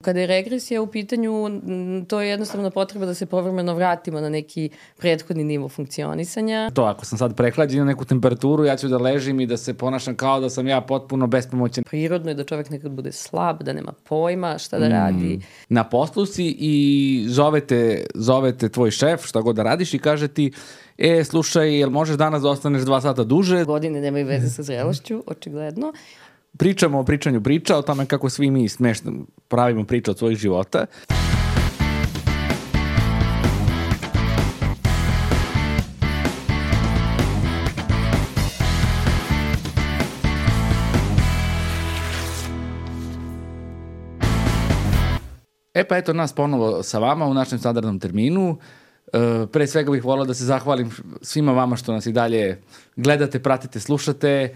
kada je regresija u pitanju, to je jednostavno potreba da se povremeno vratimo na neki prethodni nivo funkcionisanja. To, ako sam sad prehlađen na neku temperaturu, ja ću da ležim i da se ponašam kao da sam ja potpuno bespomoćan. Prirodno je da čovek nekad bude slab, da nema pojma šta da radi. Na poslu si i zovete tvoj šef, šta god da radiš i kaže ti, slušaj, jel možeš danas da ostaneš 2 sata duže? Godine nemaju veze sa zrelošću, očigledno. Pričamo o pričanju priča, o tome kako svi mi smešno pravimo priča od svojih života. Pa eto nas ponovo sa vama u našem standardnom terminu. Pre svega bih volao da se zahvalim svima vama što nas i dalje gledate, pratite, slušate,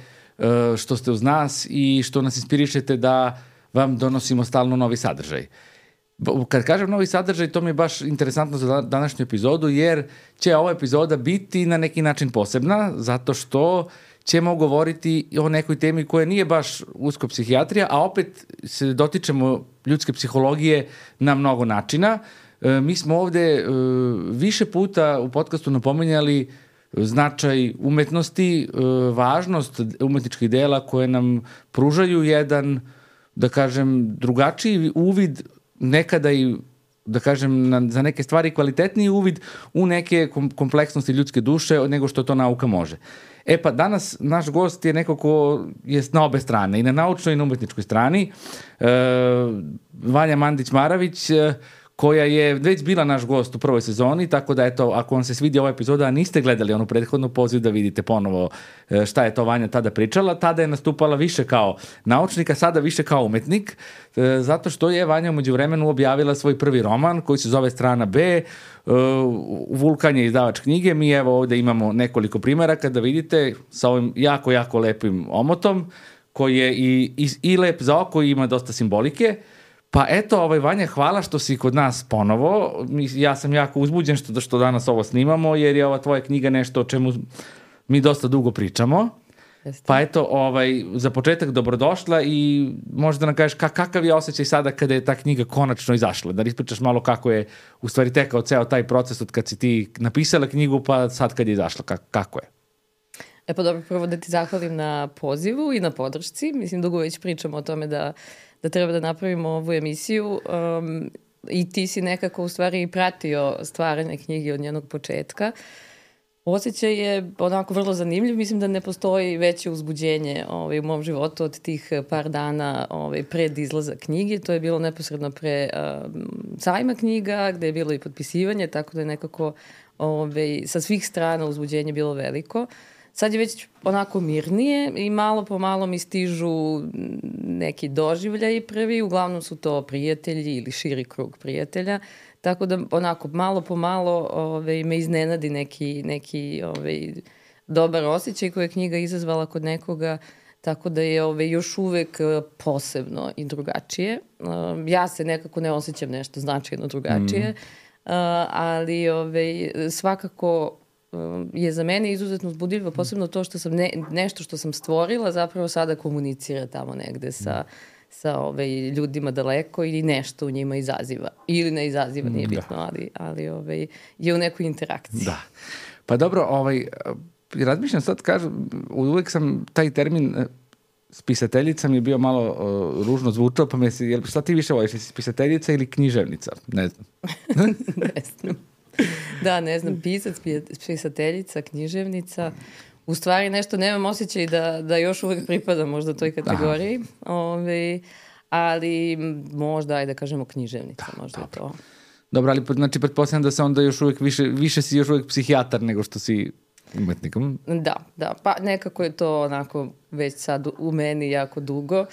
što ste uz nas i što nas inspirišete da vam donosimo stalno novi sadržaj. Kad kažem novi sadržaj, to mi je baš interesantno za današnju epizodu, jer će ova epizoda biti na neki način posebna, zato što ćemo govoriti o nekoj temi koja nije baš usko psihijatrija, a opet se dotičemo ljudske psihologije na mnogo načina. Mi smo ovde više puta u podcastu napominjali značaj umetnosti, važnost umetničkih dela koje nam pružaju jedan, da kažem, drugačiji uvid, nekada i, da kažem, za neke stvari kvalitetniji uvid u neke kompleksnosti ljudske duše nego što to nauka može. Pa danas naš gost je neko ko je na obe strane, i na naučnoj i na umetničkoj strani. Vanja Mandić-Maravić, koja je već bila naš gost u prvoj sezoni, tako da eto, ako vam se svidi ova epizoda, a niste gledali onu prethodnu, poziv da vidite ponovo šta je to Vanja tada pričala. Tada je nastupala više kao naučnik, a sada više kao umetnik, zato što je Vanja u međuvremenu objavila svoj prvi roman koji se zove Strana B, Vulkan je izdavač knjige. Mi evo ovde imamo nekoliko primeraka da vidite sa ovim jako, jako lepim omotom, koji je i lep za oko i ima dosta simbolike. Pa eto, Vanja, hvala što si kod nas ponovo. Ja sam jako uzbuđen što danas ovo snimamo, jer je ova tvoja knjiga nešto o čemu mi dosta dugo pričamo. Pa eto, za početak dobrodošla i možda nam kažeš kakav je osjećaj sada kada je ta knjiga konačno izašla. Da ispričaš malo kako je u stvari tekao ceo taj proces od kad si ti napisala knjigu pa sad kad je izašla, kako je? Pa dobro, prvo da ti zahvalim na pozivu i na podršci. Mislim, dugo već pričamo o tome da treba da napravimo ovu emisiju i ti si nekako u stvari pratio stvaranje knjige od njenog početka. Osjećaj je onako vrlo zanimljiv. Mislim da ne postoji veće uzbuđenje u mom životu od tih par dana pred izlaza knjige. To je bilo neposredno pre sajma knjiga, gde je bilo i potpisivanje, tako da je nekako sa svih strana uzbuđenje bilo veliko. Sad je već onako mirnije i malo po malo mi stižu neki doživljaji prvi, uglavnom su to prijatelji ili širi krug prijatelja, tako da onako malo po malo me iznenadi neki dobar osjećaj koji je knjiga izazvala kod nekoga, tako da je još uvek posebno i drugačije. Ja se nekako ne osjećam nešto značajno drugačije, ali svakako je za mene izuzetno uzbudljivo, posebno to što sam nešto što sam stvorila zapravo sada komunicira tamo negde sa ljudima daleko i nešto u njima izaziva. Ili ne izaziva, nije bitno, ali je u nekoj interakciji. Da. Pa dobro, razmišljam sad, kažem, uvek sam taj termin spisateljica mi je bio malo ružno zvučao, pa me se, šta ti više voliš, spisateljica ili književnica? Ne znam. Ne znam. Da, ne znam, pisac, pisateljica, književnica. U stvari nešto nemam osjećaj da još uvek pripadam možda toj kategoriji. Ali možda, ajde da kažemo književnica, možda je to. Dobro, ali znači pretpostavljam da se onda još uvek više si još uvek psihijatar nego što si umetnikom. Da, pa nekako je to onako već sad u meni jako dugo.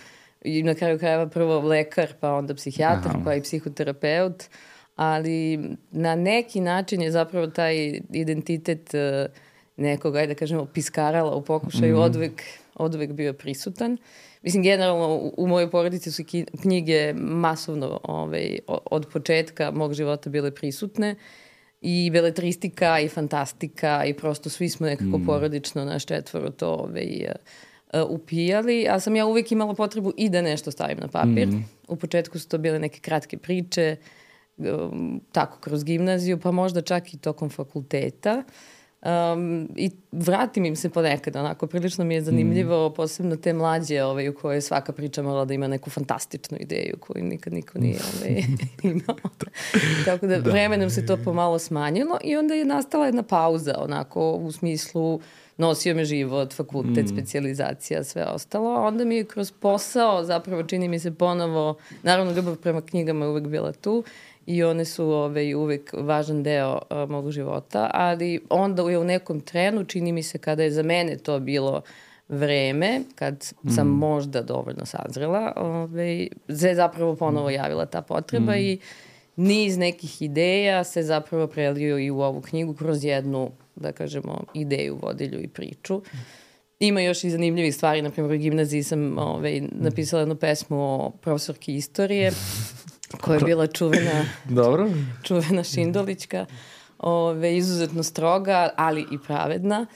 I na kraju krajeva prvo lekar, pa onda psihijatar, pa i psihoterapeut. Ali na neki način je zapravo taj identitet nekog, ajde da kažemo, piskarala u pokušaju odvek bio prisutan. Mislim, generalno u mojoj porodici su knjige masovno od početka mog života bile prisutne i beletristika i fantastika i prosto svi smo nekako porodično naš četvoro to upijali, a sam ja uvijek imala potrebu i da nešto stavim na papir. U početku su to bile neke kratke priče, tako kroz gimnaziju, pa možda čak i tokom fakulteta. I vratim im se ponekad, onako, prilično mi je zanimljivo, posebno te mlađe u kojoj svaka priča morala da ima neku fantastičnu ideju koju nikad niko nije imao. Tako da vremenom se to pomalo smanjilo i onda je nastala jedna pauza, onako, u smislu nosio me život, fakultet, specijalizacija, sve ostalo. A onda mi je kroz posao, zapravo čini mi se ponovo, naravno ljubav prema knjigama je uvek bila tu, i one su uvek važan deo mog života, ali onda je u nekom trenu, čini mi se kada je za mene to bilo vreme, kad sam možda dovoljno sazrela, se zapravo ponovo javila ta potreba i niz nekih ideja se zapravo prelio i u ovu knjigu kroz jednu, da kažemo, ideju, vodilju i priču. Ima još i zanimljivih stvari, na primjer u gimnaziji sam napisala jednu pesmu o profesorki istorije, koja je bila čuvena Šindolićka, izuzetno stroga, ali i pravedna.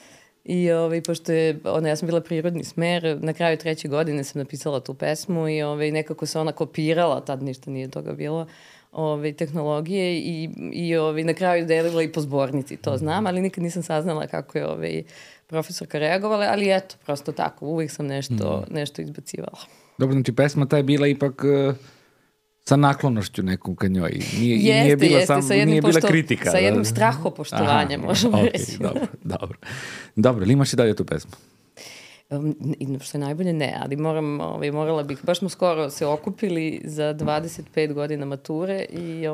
I pošto je, ja sam bila prirodni smer, na kraju 3. godine sam napisala tu pesmu i nekako se ona kopirala, tad ništa nije toga bilo, tehnologije i na kraju delila i po zbornici, to znam, ali nikad nisam saznala kako je profesorka reagovala, ali eto, prosto tako, uvijek sam nešto izbacivala. Dobro, znači pesma ta je bila ipak sa naklonošću nekom ka njoj. Nije bila kritika. Sa jednim strahopoštovanjem, možemo reći. Dobro, ili imaš i dalje tu pesmu? Što je najbolje ne, ali morala bih, baš smo skoro se okupili za 25 godina mature i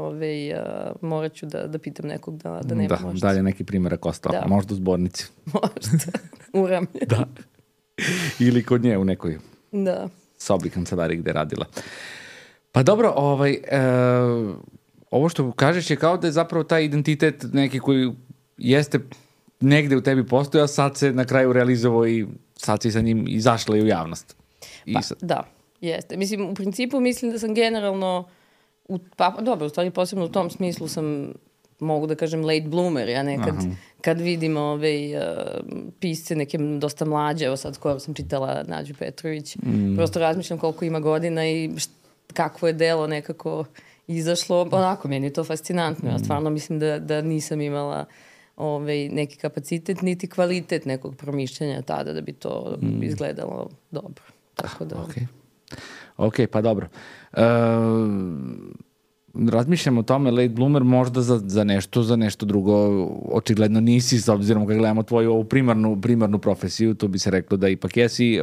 morat ću da pitam nekog da nema možda. Dalje neki primjerak ostao, možda u zbornici. Možda, u Ramlje. Da. Ili kod nje u nekoj sobi kancelariji gde je radila. Pa dobro, ovo što kažeš je kao da je zapravo taj identitet neki koji jeste negde u tebi postojao, sad se na kraju realizovao i sad si sa njim izašla i u javnost. Da, jeste. Mislim, u principu mislim da sam generalno, dobro, u stvari posebno u tom smislu sam, mogu da kažem, late bloomer. Ja nekad, kad vidim pisce neke dosta mlađe, evo sad skoro sam čitala Nađu Petrović, prosto razmišljam koliko ima godina i kakvo je delo nekako izašlo. Onako, meni je to fascinantno. Ja stvarno mislim da nisam imala neki kapacitet, niti kvalitet nekog promišljanja tada da bi to izgledalo dobro. Tako da... Ok, pa dobro. Razmišljam o tome, late bloomer možda za nešto drugo. Očigledno nisi, s obzirom kad gledamo tvoju ovu primarnu profesiju, to bi se reklo da ipak jesi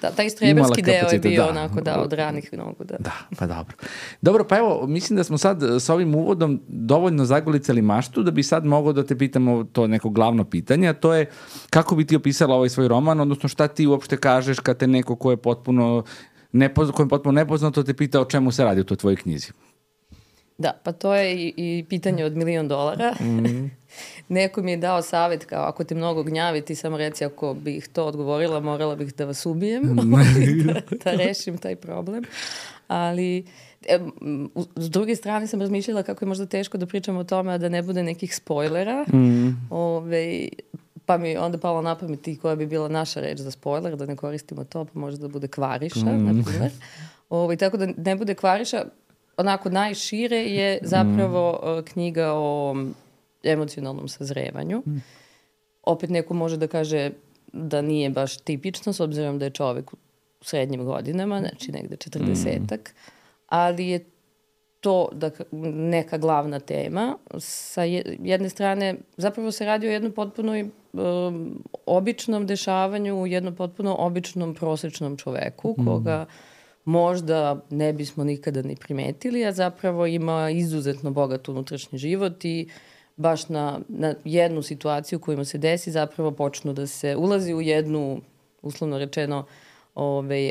da, taj streberski deo je bio onako od ranih nogu. Da, pa dobro. Dobro, pa evo, mislim da smo sad s ovim uvodom dovoljno zagolicali maštu da bi sad mogao da te pitamo to neko glavno pitanje, a to je kako bi ti opisala ovaj svoj roman, odnosno šta ti uopšte kažeš kad te neko ko je potpuno nepoznato te pita o čemu se radi u toj tvojoj knjizi. Da, pa to je i pitanje od $1.000.000. Neko mi je dao savjet kao ako te mnogo gnjavi, ti samo reci ako bih to odgovorila, morala bih da vas ubijem, da rešim taj problem. Ali s druge strane sam razmišljala kako je možda teško da pričam o tome, a da ne bude nekih spoilera. Pa mi onda palo na pamet i koja bi bila naša reč za spoiler, da ne koristimo to, pa možda da bude kvariša, na primjer. Tako da ne bude kvariša, onako najšire je zapravo knjiga o emocionalnom sazrevanju. Opet neko može da kaže da nije baš tipično, s obzirom da je čovek u srednjim godinama, znači negde 40-ak, ali je to neka glavna tema. Sa jedne strane, zapravo se radi o jednom potpuno običnom dešavanju, u jednom potpuno običnom prosečnom čoveku, koga možda ne bismo nikada ni primetili, a zapravo ima izuzetno bogat unutrašnji život i baš na jednu situaciju koju mu se desi zapravo počnu da se ulazi u jednu, uslovno rečeno,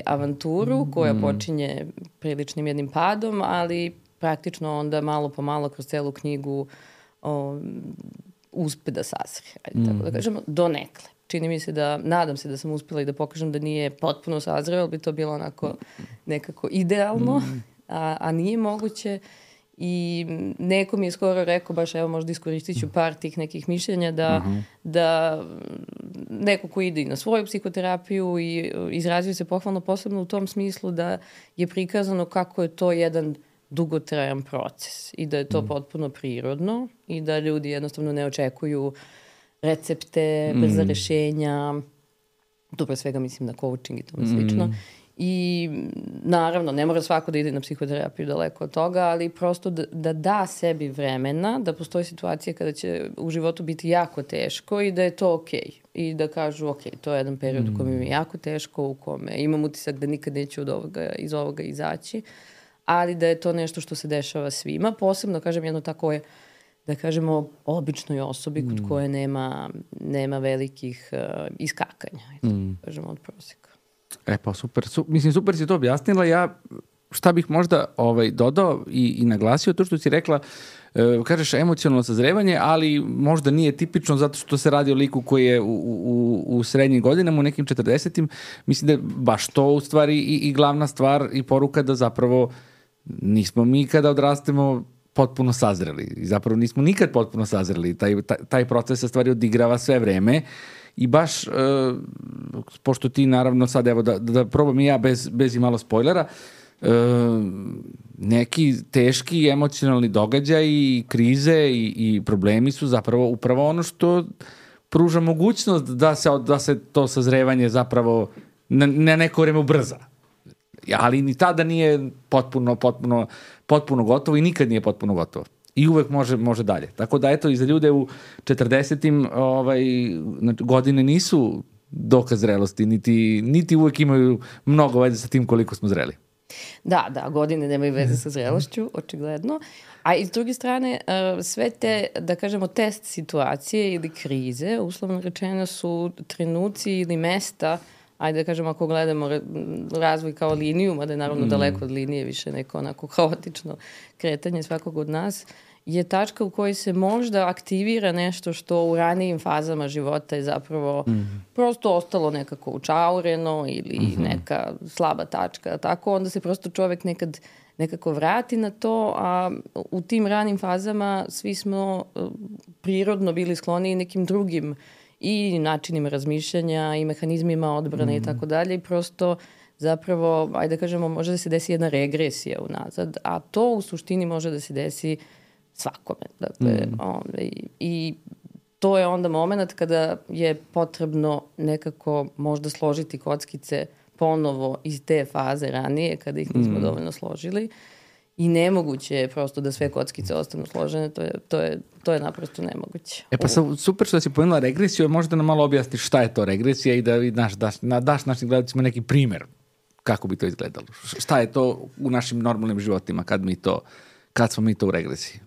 avanturu koja počinje priličnim jednim padom, ali praktično onda malo po malo kroz celu knjigu uspe da sazri. Tako da kažemo, donekle. Čini mi se nadam se da sam uspjela i da pokažem da nije potpuno sazreo, ali bi to bilo onako nekako idealno, a nije moguće. I neko mi je skoro rekao, baš evo možda iskoristit ću par tih nekih mišljenja, da neko ko ide i na svoju psihoterapiju i izrazio se pohvalno posebno u tom smislu da je prikazano kako je to jedan dugotrajan proces i da je to potpuno prirodno i da ljudi jednostavno ne očekuju recepte, brza rešenja, tu pre svega mislim na coaching i tome slično. I naravno, ne mora svako da ide na psihoterapiju daleko od toga, ali prosto da sebi vremena, da postoji situacija kada će u životu biti jako teško i da je to okej. I da kažu, okej, to je jedan period u kome mi je jako teško, u kome imam utisak da nikad neću iz ovoga izaći, ali da je to nešto što se dešava svima. Posebno, kažem, jedno tako je, da kažemo, običnoj osobi kod koje nema velikih iskakanja, kažemo, od prosjeka. Pa super. Mislim, super si to objasnila. Ja šta bih možda dodao i naglasio to što si rekla, kažeš emocionalno sazrevanje, ali možda nije tipično zato što se radi o liku koji je u srednjim godinama, u nekim 40-im. Mislim da je baš to u stvari i glavna stvar i poruka da zapravo nismo mi kada odrastemo potpuno sazreli. I zapravo nismo nikad potpuno sazreli. Taj proces se stvari odigrava sve vreme. I baš, pošto ti naravno sad, evo da probam i ja bez i malo spoilera, neki teški emocionalni događaji, krize i problemi su zapravo upravo ono što pruža mogućnost da se to sazrevanje zapravo na neko vreme ubrza. Ali ni tada nije potpuno gotovo i nikad nije potpuno gotovo. I uvek može dalje. Tako da, eto, i za ljude u 40-im godine nisu dokaz zrelosti, niti uvek imaju mnogo veze sa tim koliko smo zreli. Da, godine nemaju veze sa zrelošću, očigledno. A iz druge strane, sve te, da kažemo, test situacije ili krize, uslovno rečeno su trenuci ili mesta, ajde da kažemo, ako gledamo razvoj kao liniju, mada je naravno daleko od linije, više neko onako haotično kretanje svakog od nas, je tačka u kojoj se možda aktivira nešto što u ranijim fazama života je zapravo prosto ostalo nekako učaureno ili neka slaba tačka. Tako onda se prosto čovek nekako vrati na to, a u tim ranim fazama svi smo prirodno bili skloni nekim drugim i načinima razmišljanja i mehanizmima odbrane i tako dalje i prosto zapravo, ajde da kažemo, može da se desi jedna regresija unazad, a to u suštini može da se desi svakome. Dakle, i to je onda moment kada je potrebno nekako možda složiti kockice ponovo iz te faze ranije, kada ih nismo dovoljno složili. I nemoguće je prosto da sve kockice ostanu složene, to je naprosto nemoguće. Pa super što si pomenula regresiju, možda nam malo objasniš šta je to regresija i da daš našim gledalcima neki primer kako bi to izgledalo. Šta je to u našim normalnim životima kad smo mi to u regresiji?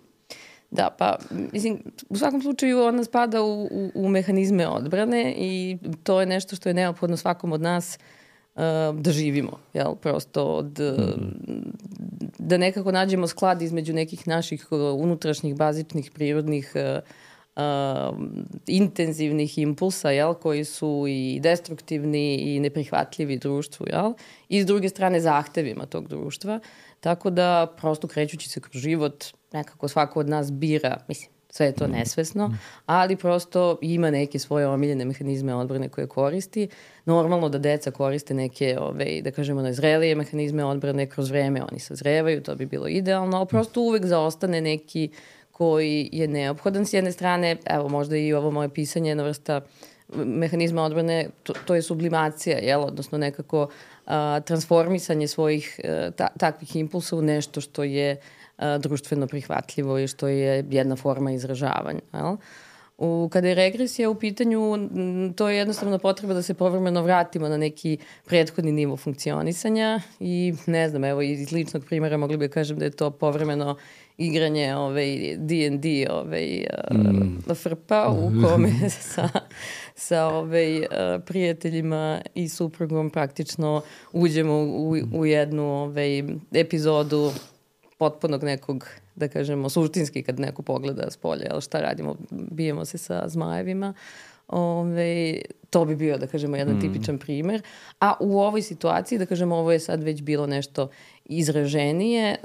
Da, pa mislim, u svakom slučaju ona spada u mehanizme odbrane i to je nešto što je neophodno svakom od nas da živimo, jel? Prosto da nekako nađemo sklad između nekih naših unutrašnjih, bazičnih, prirodnih, intenzivnih impulsa, jel? Koji su i destruktivni i neprihvatljivi društvu, jel? I s druge strane zahtevima tog društva. Tako da prosto krećući se kroz život nekako svako od nas bira, mislim, sve je to nesvesno, ali prosto ima neke svoje omiljene mehanizme odbrane koje koristi. Normalno da deca koriste neke, da kažemo, nezrelije mehanizme odbrane, kroz vreme oni sazrevaju, to bi bilo idealno, ali prosto uvek zaostane neki koji je neophodan. S jedne strane, evo možda i ovo moje pisanje je jedna vrsta mehanizma odbrane, to je sublimacija, jel? Odnosno nekako transformisanje svojih takvih impulsa u nešto što je društveno prihvatljivo i što je jedna forma izražavanja. Jel? Kada je regresija u pitanju, to je jednostavno potreba da se povremeno vratimo na neki prethodni nivo funkcionisanja i ne znam, evo iz ličnog primjera mogli bi kažem da je to povremeno igranje D&D frpa u kome sa prijateljima i suprugom praktično uđemo u jednu epizodu potpunog nekog, da kažemo, suštinski kad neko pogleda s polja, jel, šta radimo, bijemo se sa zmajevima. To bi bio, da kažemo, jedan tipičan primer. A u ovoj situaciji, da kažemo, ovo je sad već bilo nešto izraženije,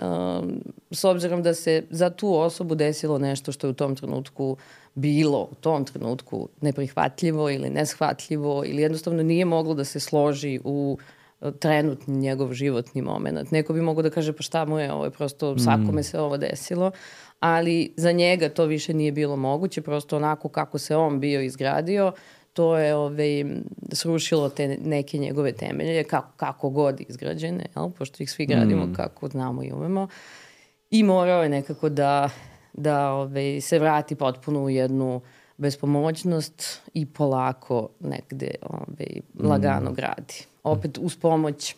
s obzirom da se za tu osobu desilo nešto što je u tom trenutku bilo, u tom trenutku neprihvatljivo ili neshvatljivo ili jednostavno nije moglo da se složi u trenutni njegov životni moment. Neko bi mogao da kaže pa šta mu je, ovo je prosto svakome se ovo desilo, ali za njega to više nije bilo moguće, prosto onako kako se on bio izgradio, to je srušilo te neke njegove temelje, kako god izgrađene, jel? Pošto ih svi gradimo kako znamo i umemo. I morao je nekako da se vrati potpuno u jednu bespomoćnost i polako negde lagano gradi. Opet uz pomoć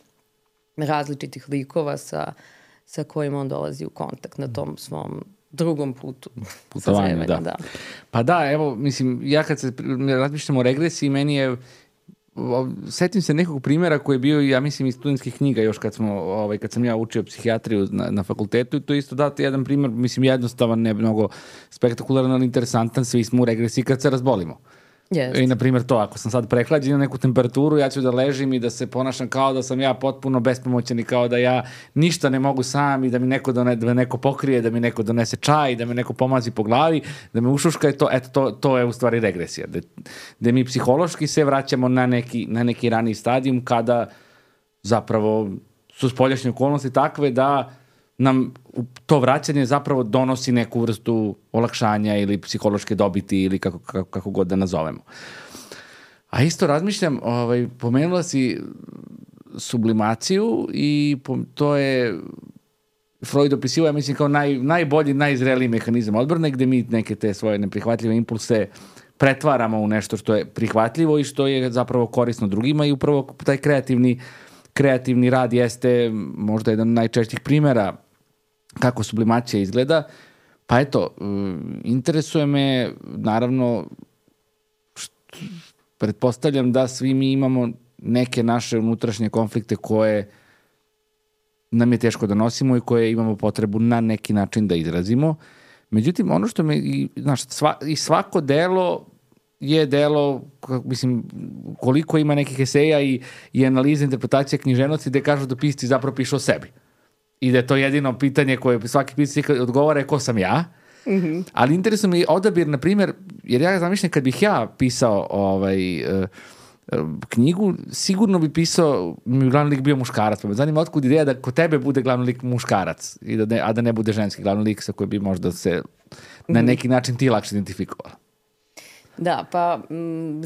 različitih likova sa kojima on dolazi u kontakt na tom svom drugom putovanju, da. Pa da, evo, mislim, ja kad se razmišljam o regresiji, meni je, setim se nekog primjera koji je bio, ja mislim, iz studentskih knjiga još kad sam ja učio psihijatriju na fakultetu, i to isto dati jedan primjer, mislim, jednostavan, ne mnogo spektakularan, ali interesantan, svi smo u regresiji kad se razbolimo. Yes. I, na primjer, to, ako sam sad prehlađen na neku temperaturu, ja ću da ležim i da se ponašam kao da sam ja potpuno bespomoćan i kao da ja ništa ne mogu sam i da mi neko pokrije, da mi neko donese čaj, da me neko pomazi po glavi, da me ušuška, to je u stvari regresija. Da mi psihološki se vraćamo na neki raniji stadijum kada zapravo su spoljašnje okolnosti takve da nam to vraćanje zapravo donosi neku vrstu olakšanja ili psihološke dobiti ili kako god da nazovemo. A isto razmišljam, pomenula si sublimaciju i to je Freud opisivao, ja mislim, kao najbolji, najzreliji mehanizam odbrane, gde mi neke te svoje neprihvatljive impulse pretvaramo u nešto što je prihvatljivo i što je zapravo korisno drugima, i upravo taj kreativni rad jeste možda jedan od najčešćih primjera kako sublimacija izgleda. Pa eto, interesuje me, naravno, pretpostavljam da svi mi imamo neke naše unutrašnje konflikte koje nam je teško da nosimo i koje imamo potrebu na neki način da izrazimo. Međutim, ono što me, i svako delo je delo, mislim, koliko ima nekih eseja i analize, interpretacije književnosti gde kažu da pisci zapravo pišu o sebi. I da je to jedino pitanje koje svaki pisac odgovara je ko sam ja. Mm-hmm. Ali interesuje me odabir, na primjer, jer ja zamišljam kad bih ja pisao knjigu, sigurno bi pisao, mi glavni lik bio muškarac, pa me zanima otkud ideja da kod tebe bude glavni lik muškarac, a da ne bude ženski glavni lik sa koji bi možda se na neki način ti lakše identifikovala. Da, pa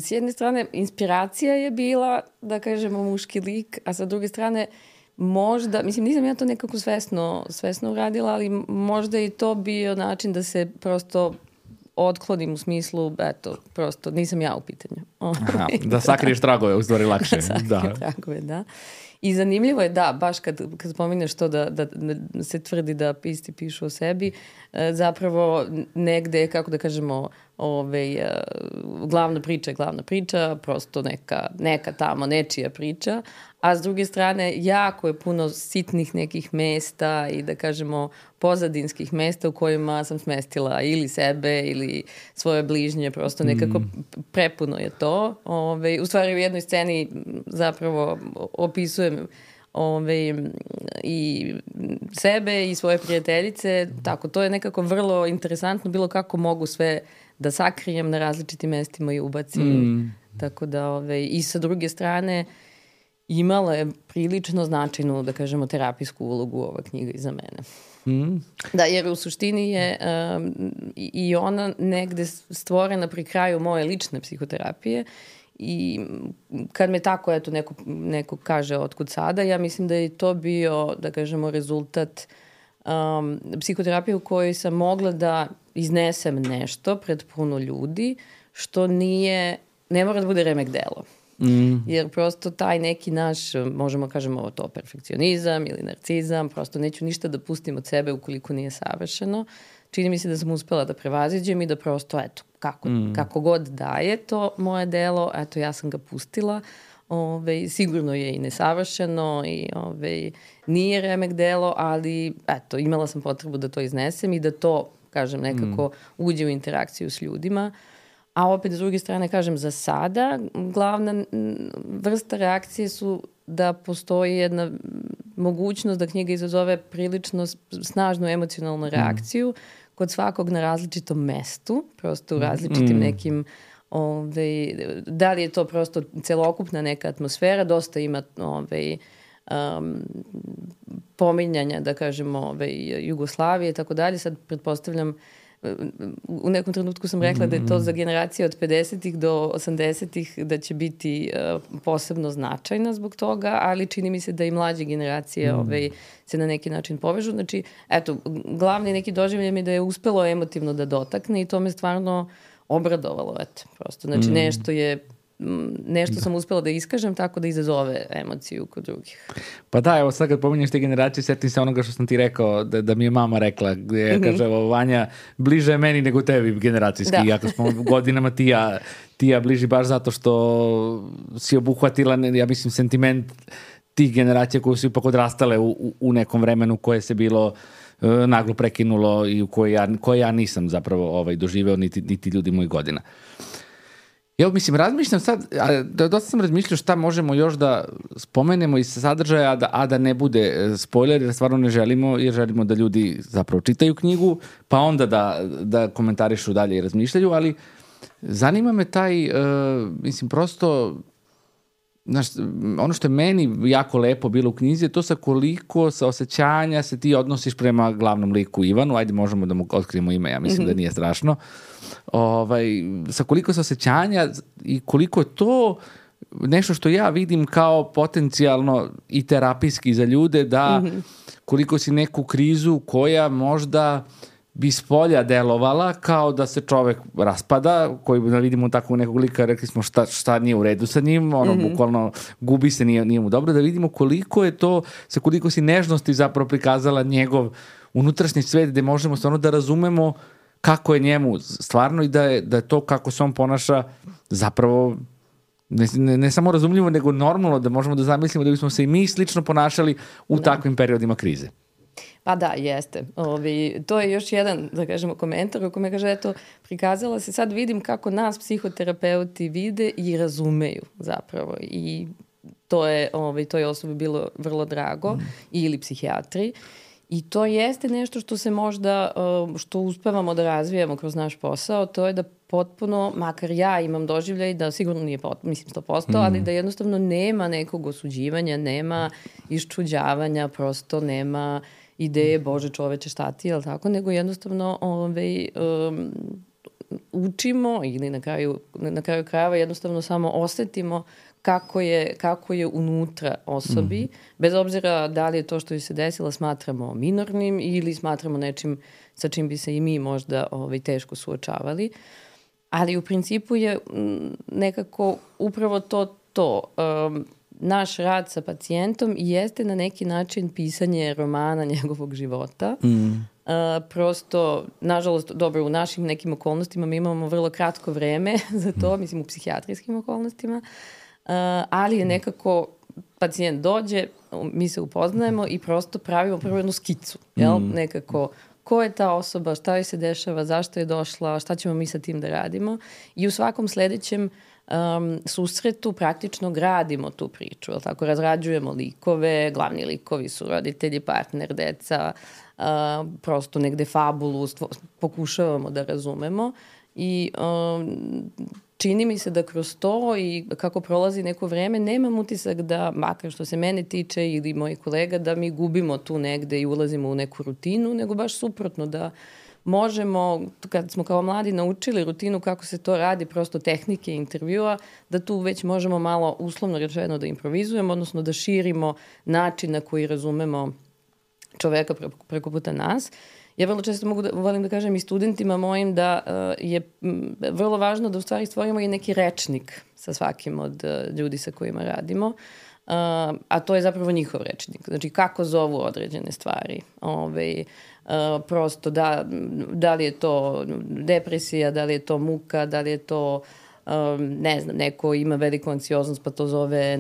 s jedne strane inspiracija je bila, da kažemo, muški lik, a sa druge strane možda, mislim, nisam ja to nekako svesno uradila, ali možda i to bio način da se prosto otklonim u smislu, eto, prosto nisam ja u pitanju. Aha, da sakriješ tragove, u stvari lakše. Da sakriješ tragove, da. I zanimljivo je, da, baš kad spominješ to da se tvrdi da pisci pišu o sebi, zapravo negde, kako da kažemo, glavna priča, prosto neka tamo nečija priča, a s druge strane jako je puno sitnih nekih mesta i da kažemo pozadinskih mesta u kojima sam smestila ili sebe ili svoje bližnje, prosto nekako prepuno je to. U stvari u jednoj sceni zapravo opisujem i sebe i svoje prijateljice, tako, to je nekako vrlo interesantno, bilo kako mogu sve da sakrijem na različitim mestima i ubacim. Tako da, i sa druge strane, imala je prilično značajnu, da kažemo, terapijsku ulogu ova knjiga i za mene. Da, jer u suštini je i ona negde stvorena pri kraju moje lične psihoterapije i kad me tako, eto, neko kaže otkud sada, ja mislim da je to bio, da kažemo, rezultat psihoterapije u kojoj sam mogla da iznesem nešto pred puno ljudi, što ne mora da bude remek delo. Jer prosto taj neki naš, možemo kažemo to perfekcionizam ili narcizam, prosto neću ništa da pustim od sebe ukoliko nije savršeno. Čini mi se da sam uspela da prevaziđem i da prosto, eto, kako god da je to moje delo, eto, ja sam ga pustila sigurno je i nesavršeno i nije remek delo, ali eto, imala sam potrebu da to iznesem i da to, kažem, nekako uđe u interakciju s ljudima. A opet, s druge strane, kažem, za sada glavna vrsta reakcije su da postoji jedna mogućnost da knjiga izazove prilično snažnu emocionalnu reakciju kod svakog na različitom mestu, prosto u različitim nekim, da li je to prosto celokupna neka atmosfera, dosta ima pominjanja, da kažemo, Jugoslavije i tako dalje. Sad pretpostavljam, u nekom trenutku sam rekla da je to za generacije od 50-ih do 80-ih da će biti posebno značajna zbog toga, ali čini mi se da i mlađe generacije se na neki način povežu. Znači, eto, glavni neki doživljaj mi da je uspelo emotivno da dotakne i to me stvarno obradovalo, eto, prosto. Znači, nešto sam uspela da iskažem tako da izazove emociju kod drugih. Pa da, evo sad kad pominješ te generacije, setim se onoga što sam ti rekao, da mi je mama rekla, gdje kaže, Vanja, bliže je meni nego tebi generacijski, iako smo godinama ti ja bliži baš zato što si obuhvatila, ja mislim, sentiment tih generacija koje su ipak odrastale u nekom vremenu koje se bilo naglo prekinulo i u koje ja nisam zapravo doživeo niti ljudi mojih godina. Evo, mislim, razmišljam sad, dosta sam razmišljao šta možemo još da spomenemo iz sadržaja, a da ne bude spoiler, jer stvarno ne želimo, jer želimo da ljudi zapravo čitaju knjigu, pa onda da komentarišu dalje i razmišljaju, ali zanima me taj, mislim, prosto, znaš, ono što je meni jako lepo bilo u knjizi je to sa koliko osjećanja se ti odnosiš prema glavnom liku Ivanu, ajde možemo da mu otkrijemo ime, ja mislim da nije strašno, sa koliko osjećanja i koliko je to nešto što ja vidim kao potencijalno i terapijski za ljude, da koliko si neku krizu koja možda bi spolja delovala kao da se čovek raspada, koji vidimo tako nekog lika, rekli smo šta nije u redu sa njim, bukvalno gubi se, nije mu dobro, da vidimo koliko je to, sa koliko si nežnosti zapravo prikazala njegov unutrašnji svet, gde možemo stvarno da razumemo kako je njemu stvarno i da je to kako se on ponaša zapravo ne samo razumljivo, nego normalno, da možemo da zamislimo da bismo se i mi slično ponašali u takvim periodima krize. Pa da, jeste. To je još jedan, da kažemo, komentar u kome kaže, eto, prikazala se, sad vidim kako nas psihoterapeuti vide i razumeju zapravo. I to je toj osobi bilo vrlo drago, ili psihijatri. I to jeste nešto što se možda, što uspevamo da razvijamo kroz naš posao, to je da potpuno, makar ja imam doživljaj da sigurno nije mislim 100%, ali da jednostavno nema nekog osuđivanja, nema iščuđavanja, prosto nema ideje, Bože čoveče šta ti, jel tako, nego jednostavno učimo ili na kraju krajeva jednostavno samo osetimo kako je unutra osobi, bez obzira da li je to što joj se desilo smatramo minornim ili smatramo nečim sa čim bi se i mi možda teško suočavali. Ali u principu je nekako upravo to. Naš rad sa pacijentom jeste na neki način pisanje romana njegovog života. Prosto, nažalost, dobro, u našim nekim okolnostima mi imamo vrlo kratko vreme za to, mislim u psihijatrijskim okolnostima, ali je nekako pacijent dođe, mi se upoznajemo i prosto pravimo prvo jednu skicu, jel? Nekako, ko je ta osoba, šta joj se dešava, zašto je došla, šta ćemo mi sa tim da radimo i u svakom sledećem susretu praktično gradimo tu priču, jel tako, razrađujemo likove, glavni likovi su roditelji, partner, deca, prosto negde fabulu pokušavamo da razumemo i čini mi se da kroz to i kako prolazi neko vreme nemam utisak da, makar što se mene tiče ili mojih kolega, da mi gubimo tu negde i ulazimo u neku rutinu, nego baš suprotno, da možemo, kad smo kao mladi naučili rutinu kako se to radi, prosto tehnike intervjua, da tu već možemo malo uslovno rečeno da improvizujemo, odnosno da širimo način na koji razumemo čoveka preko puta nas. Ja vrlo često volim da kažem i studentima mojim da je vrlo važno da u stvari stvorimo i neki rečnik sa svakim od ljudi sa kojima radimo, a to je zapravo njihov rečnik. Znači kako zovu određene stvari. Prosto da li je to depresija, da li je to muka, da li je to ne znam, neko ima veliku anksioznost pa to zove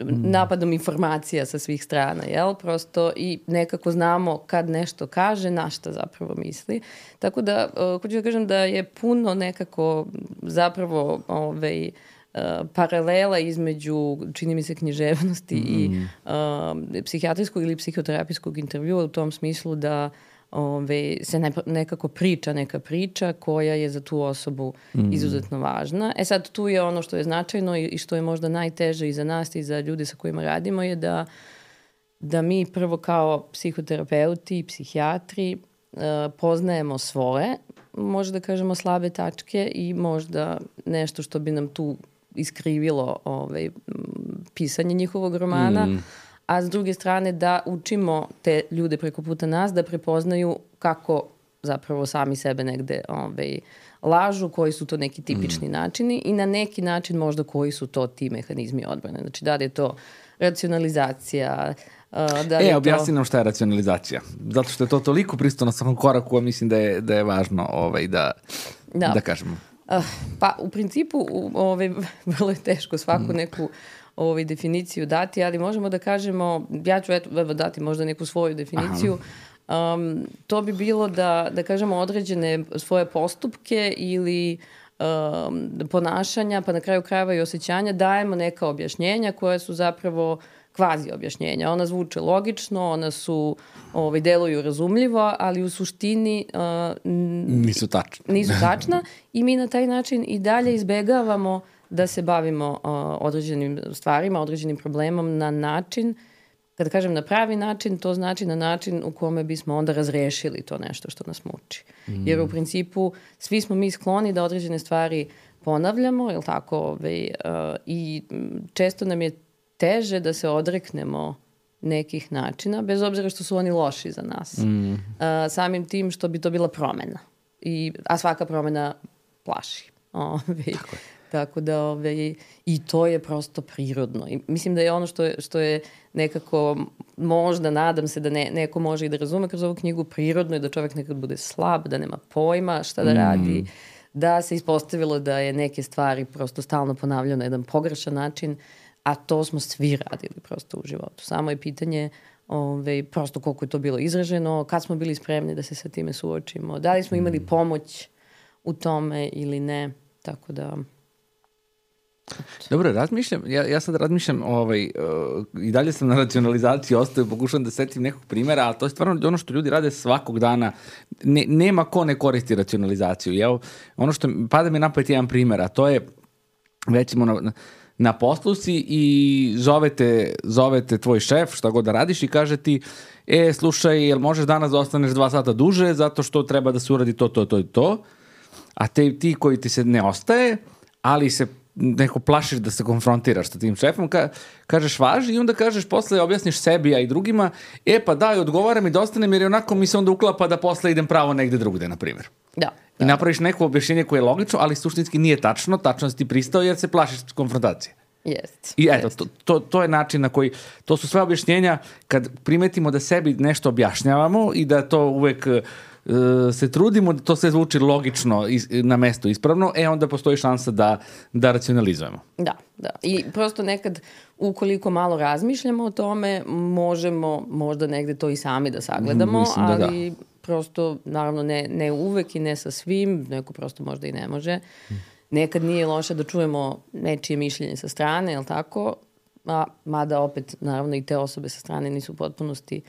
napadom informacija sa svih strana, jel? Prosto i nekako znamo kad nešto kaže, na šta zapravo misli. Tako da, hoću da kažem da je puno nekako zapravo paralela između, čini mi se, književnosti i psihijatrijskog ili psihoterapijskog intervjua u tom smislu da se nekako priča neka priča koja je za tu osobu izuzetno važna. Sad tu je ono što je značajno i što je možda najteže i za nas i za ljude sa kojima radimo je da mi prvo kao psihoterapeuti i psihijatri poznajemo svoje, možda da kažemo slabe tačke i možda nešto što bi nam tu iskrivilo pisanje njihovog romana, a s druge strane da učimo te ljude preko puta nas da prepoznaju kako zapravo sami sebe negde lažu, koji su to neki tipični načini i na neki način možda koji su to ti mehanizmi odbrane. Znači da li je to racionalizacija, objasni nam šta je racionalizacija. Zato što je to toliko prisutno na svakom koraku, a mislim da je važno da kažemo. Pa u principu vrlo je teško svaku neku definiciju dati, ali možemo da kažemo, ja ću dati možda neku svoju definiciju, to bi bilo da kažemo određene svoje postupke ili ponašanja, pa na kraju krajeva i osjećanja, dajemo neka objašnjenja koja su zapravo kvazi objašnjenja. Ona zvuče logično, ona su, deluju razumljivo, ali u suštini nisu tačna i mi na taj način i dalje izbegavamo da se bavimo određenim stvarima, određenim problemom na način, kada kažem na pravi način, to znači na način u kome bismo onda razrešili to nešto što nas muči. Jer u principu svi smo mi skloni da određene stvari ponavljamo, jel tako, i često nam je teže da se odreknemo nekih načina, bez obzira što su oni loši za nas. Samim tim što bi to bila promena. A svaka promena plaši. Tako da i to je prosto prirodno. I mislim da je ono što je nekako, možda nadam se da neko može i da razume kroz ovu knjigu, prirodno je da čovjek nekad bude slab, da nema pojma šta da radi, da se ispostavilo da je neke stvari prosto stalno ponavljaju na jedan pogrešan način, a to smo svi radili prosto u životu. Samo je pitanje prosto koliko je to bilo izraženo, kad smo bili spremni da se sa time suočimo, da li smo imali pomoć u tome ili ne, tako da... Dobro, razmišljam, ja sad razmišljam i dalje sam na racionalizaciji ostaju, pokušam da setim nekog primjera, ali to je stvarno ono što ljudi rade svakog dana. Nema ko ne koristi racionalizaciju. Evo, ono što pada mi napad jedan primjer, a to je recimo na poslu si i zovete tvoj šef, šta god da radiš i kaže ti, slušaj, jel možeš danas da ostaneš 2 sata duže zato što treba da se uradi to, a ti koji ti se ne ostaje, ali se neko plašiš da se konfrontiraš sa tim šefom, kažeš važi i onda kažeš posle, objasniš sebi, a i drugima, pa daj, odgovara mi da ostanem jer onako mi se onda uklapa da posle idem pravo negde drugde, na primjer. Da. I napraviš neko objašnjenje koje je logično, ali suštinski nije tačno si ti pristao jer se plašiš konfrontacije. Jest. I eto, to je način na koji, to su sve objašnjenja kad primetimo da sebi nešto objašnjavamo i da to uvek se trudimo da to sve zvuči logično na mesto ispravno, onda postoji šansa da racionalizujemo. Da. I prosto nekad, ukoliko malo razmišljamo o tome, možemo možda negde to i sami da sagledamo, ali prosto, naravno, ne uvek i ne sa svim, neko prosto možda i ne može. Nekad nije loše da čujemo nečije mišljenje sa strane, jel tako? Mada opet, naravno, i te osobe sa strane nisu u potpunosti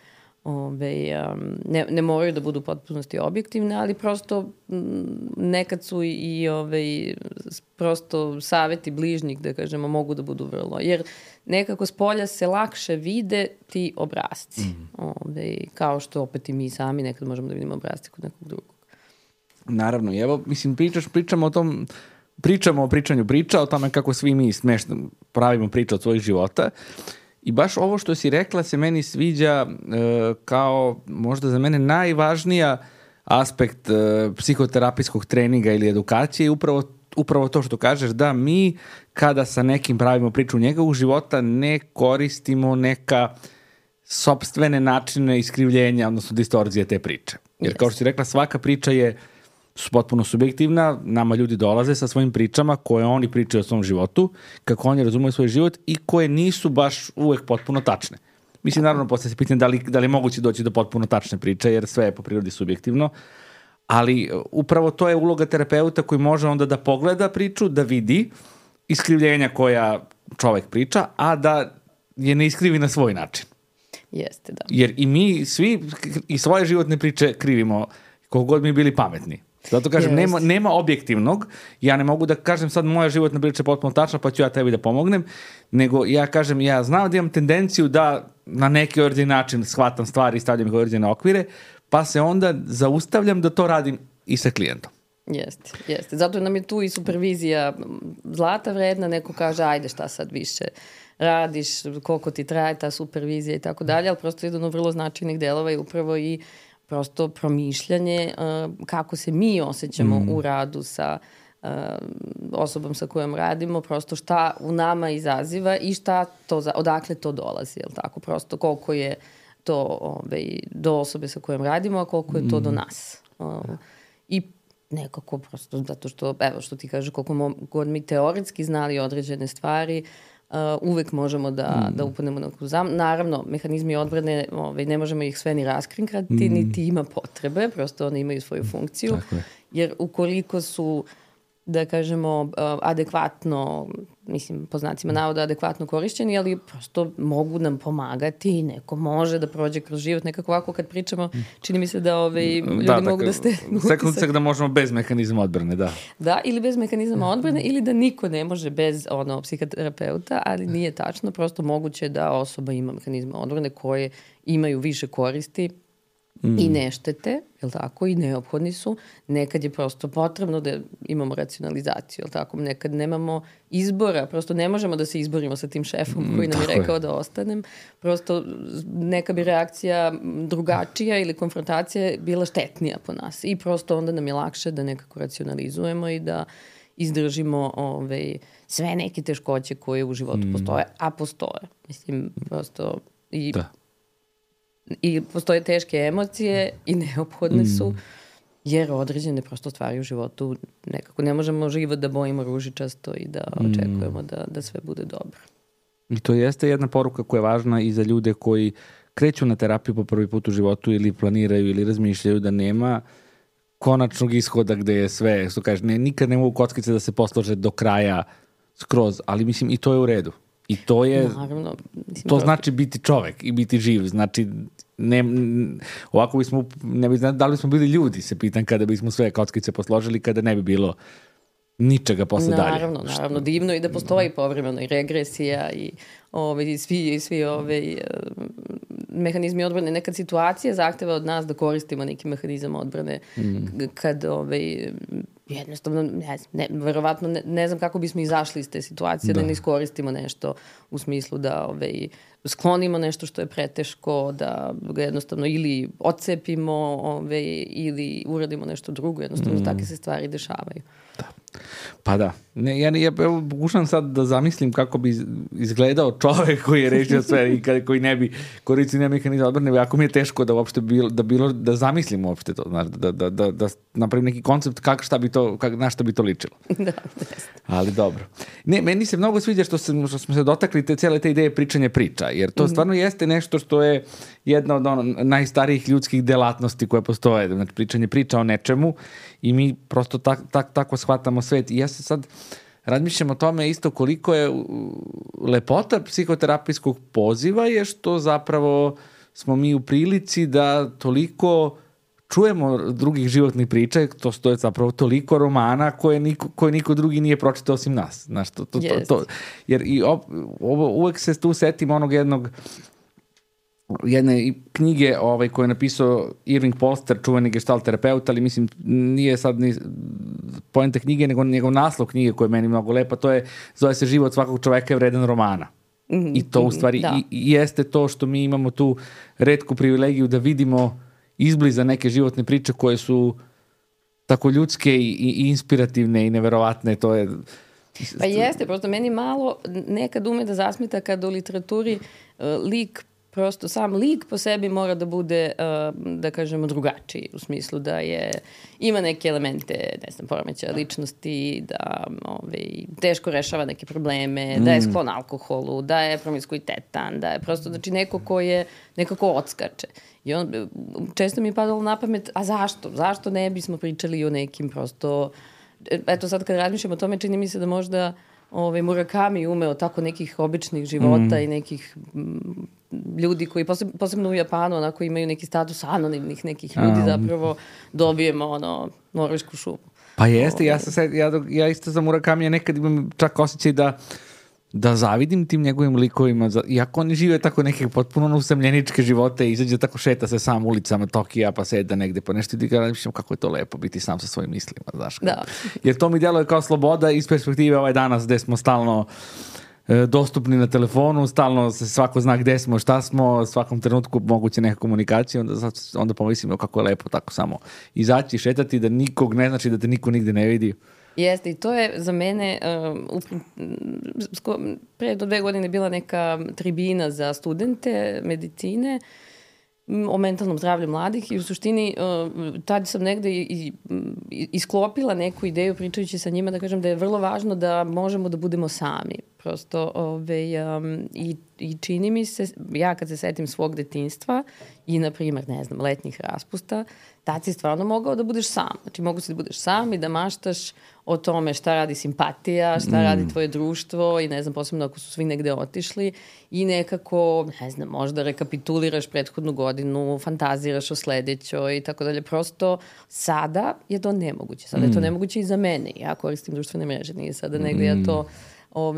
ne moraju da budu u potpunosti objektivne, ali prosto nekad su i prosto saveti bližnjih, da kažemo, mogu da budu vrlo. Jer nekako s polja se lakše vide ti obrasci. Kao što opet i mi sami nekad možemo da vidimo obrasci kod nekog drugog. Naravno, i evo, mislim, pričamo o tom, pričamo o pričanju priča, o tome kako svi mi smešno pravimo priču od svojih života. I baš ovo što si rekla se meni sviđa kao možda za mene najvažnija aspekt psihoterapijskog treninga ili edukacije je upravo to što kažeš, da mi kada sa nekim pravimo priču njegovog života ne koristimo neka sopstvene načine iskrivljenja, odnosno distorzije te priče. Jer kao što si rekla, svaka priča je su potpuno subjektivna, nama ljudi dolaze sa svojim pričama koje oni pričaju o svom životu, kako oni razumiju svoj život i koje nisu baš uvek potpuno tačne. Mislim, naravno, posle se pitam da li je moguće doći do potpuno tačne priče, jer sve je po prirodi subjektivno, ali upravo to je uloga terapeuta koji može onda da pogleda priču, da vidi iskrivljenja koja čovek priča, a da je ne iskrivi na svoj način. Jeste, da. Jer i mi svi i svoje životne priče krivimo koliko god mi bili pametni. Zato kažem, nema objektivnog, ja ne mogu da kažem sad moja životna priča je potpuno tačna pa ću ja tebi da pomognem, nego ja kažem, ja znam da imam tendenciju da na neki određen način shvatam stvari i stavljam ih u određene okvire, pa se onda zaustavljam da to radim i sa klijentom. Jeste. Zato nam je tu i supervizija zlata vredna, neko kaže ajde šta sad više radiš, koliko ti traje ta supervizija i tako dalje, ali prosto jedan od vrlo značajnih delova je upravo i prosto promišljanje kako se mi osjećamo u radu sa osobom sa kojom radimo, prosto šta u nama izaziva i šta to, odakle to dolazi, jel tako? Prosto koliko je to do osobe sa kojom radimo, a koliko je to do nas. I nekako prosto, zato što, evo što ti kaže, koliko god mi teoretski znali određene stvari, uvek možemo da upadnemo na kruzam. Naravno, mehanizmi odbrane, ne možemo ih sve ni raskrinkati, niti ima potrebe, prosto one imaju svoju funkciju, jer ukoliko su, da kažemo, adekvatno, mislim, po znacima navoda adekvatno korišćeni, ali prosto mogu nam pomagati i neko može da prođe kroz život. Nekako ovako kad pričamo, čini mi se da ljudi mogu da ste... Sekundcak da možemo bez mehanizma odbrane, da. Da, ili bez mehanizma odbrane, ili da niko ne može bez psihoterapeuta, ali nije tačno. Prosto moguće da osoba ima mehanizma odbrane koje imaju više koristi i ne štete, jel tako, i neophodni su. Nekad je prosto potrebno da imamo racionalizaciju, jel tako, nekad nemamo izbora, prosto ne možemo da se izborimo sa tim šefom koji nam je rekao da ostanem. Prosto neka bi reakcija drugačija ili konfrontacija bila štetnija po nas i prosto onda nam je lakše da nekako racionalizujemo i da izdržimo sve neke teškoće koje u životu postoje, a postoje. Mislim, prosto i postoje teške emocije i neophodne su, jer određene prosto stvari u životu nekako ne možemo život da bojimo ružičasto i da očekujemo da sve bude dobro. I to jeste jedna poruka koja je važna i za ljude koji kreću na terapiju po prvi put u životu ili planiraju ili razmišljaju da nema konačnog ishoda gde je sve, što kažeš, nikad ne mogu kockice da se poslože do kraja skroz, ali mislim i to je u redu. I to je, naravno, to znači biti čovek i biti živ, znači ovako bismo, ne bi znali da li bismo bili ljudi, se pitam, kada bismo sve kockice posložili, kada ne bi bilo ničega posle dalje. Naravno, divno i da postoji povremeno i regresija i svi mehanizmi odbrane. Nekad situacija zahteva od nas da koristimo neki mehanizam odbrane kad jednostavno, verovatno ne znam kako bismo izašli iz te situacije, da ne iskoristimo nešto u smislu da sklonimo nešto što je preteško, da ga jednostavno ili odcepimo ili uradimo nešto drugo, jednostavno takve se stvari dešavaju. Da. Pa da. Ja pokušam sad da zamislim kako bi izgledao čovek koji je rešio sve i koji ne bi koristio mehanizam odbrane, jako mi je teško da uopšte da zamislim uopšte to, da napravim neki koncept na šta bi to ličilo. Da. Ali dobro. Ne, meni se mnogo sviđa što smo se dotakli cijele te ideje pričanja priča, jer to stvarno jeste nešto što je jedna od najstarijih ljudskih delatnosti koje postoje, znači pričanje priča o nečemu i mi prosto tako shvatamo svet. I ja se sad razmišljam o tome isto koliko je lepota psihoterapijskog poziva je što zapravo smo mi u prilici da toliko čujemo drugih životnih priča, to stoje zapravo toliko romana koje niko drugi nije pročitao osim nas. Znaš, jer uvek se tu setim onog jedne knjige koje je napisao Irving Polster, čuveni gestalt terapeut, ali mislim nije sad ni poenta knjige, nego njegov naslov knjige koji je meni mnogo lepa, zove se Život svakog čoveka je vredan romana. I to u stvari jeste to što mi imamo tu retku privilegiju da vidimo izbliza neke životne priče koje su tako ljudske i inspirativne i neverovatne. To je... Pa jeste, prosto meni malo nekad ume da zasmeta kad u literaturi lik prosto sam lik po sebi mora da bude, da kažemo, drugačiji, u smislu da ima neke elemente, ne znam, poremećaja ličnosti, da teško rešava neke probleme, da je sklon alkoholu, da je promiskuitetan, da je prosto, znači neko ko je nekako odskače. I često mi je padalo na pamet, a zašto? Zašto ne bismo pričali o nekim prosto, eto sad kad razmišljam o tome, čini mi se da možda Murakami umeo tako nekih običnih života i nekih ljudi koji, posebno u Japanu, onako imaju neki status anonimnih nekih ljudi, zapravo dobijemo norvešku šumu. Pa jeste, ja isto za Murakamija nekad imam čak osjećaj da zavidim tim njegovim likovima, iako oni žive tako neke potpuno usamljeničke živote, izađe tako, šeta se sam ulicama Tokija, pa seda negde, pa nešto i razmišljam kako je to lepo biti sam sa svojim mislima, znaš. Da. Jer to mi djeluje kao sloboda iz perspektive danas gde smo stalno dostupni na telefonu, stalno se svako zna gde smo, šta smo, svakom trenutku moguće neka komunikacija, onda pomislimo kako je lepo tako samo izaći, šetati, da nikog ne znači da te niko nigde ne vidi. Jeste, i to je za mene, pre do 2 godine bila neka tribina za studente medicine o mentalnom zdravlju mladih i u suštini tad sam negde isklopila neku ideju pričajući sa njima, da kažem da je vrlo važno da možemo da budemo sami. Prosto, i čini mi se, ja kad se setim svog detinjstva i, na primjer, ne znam, letnjih raspusta, tad si stvarno mogao da budeš sam. Znači, mogu si da budeš sam i da maštaš o tome šta radi simpatija, šta radi tvoje društvo i, ne znam, posebno ako su svi negde otišli i nekako, ne znam, možda rekapituliraš prethodnu godinu, fantaziraš o sledećoj i tako dalje. Prosto, sada je to nemoguće. Sada je to nemoguće i za mene. Ja koristim društvene mreže, nije sada negde ja to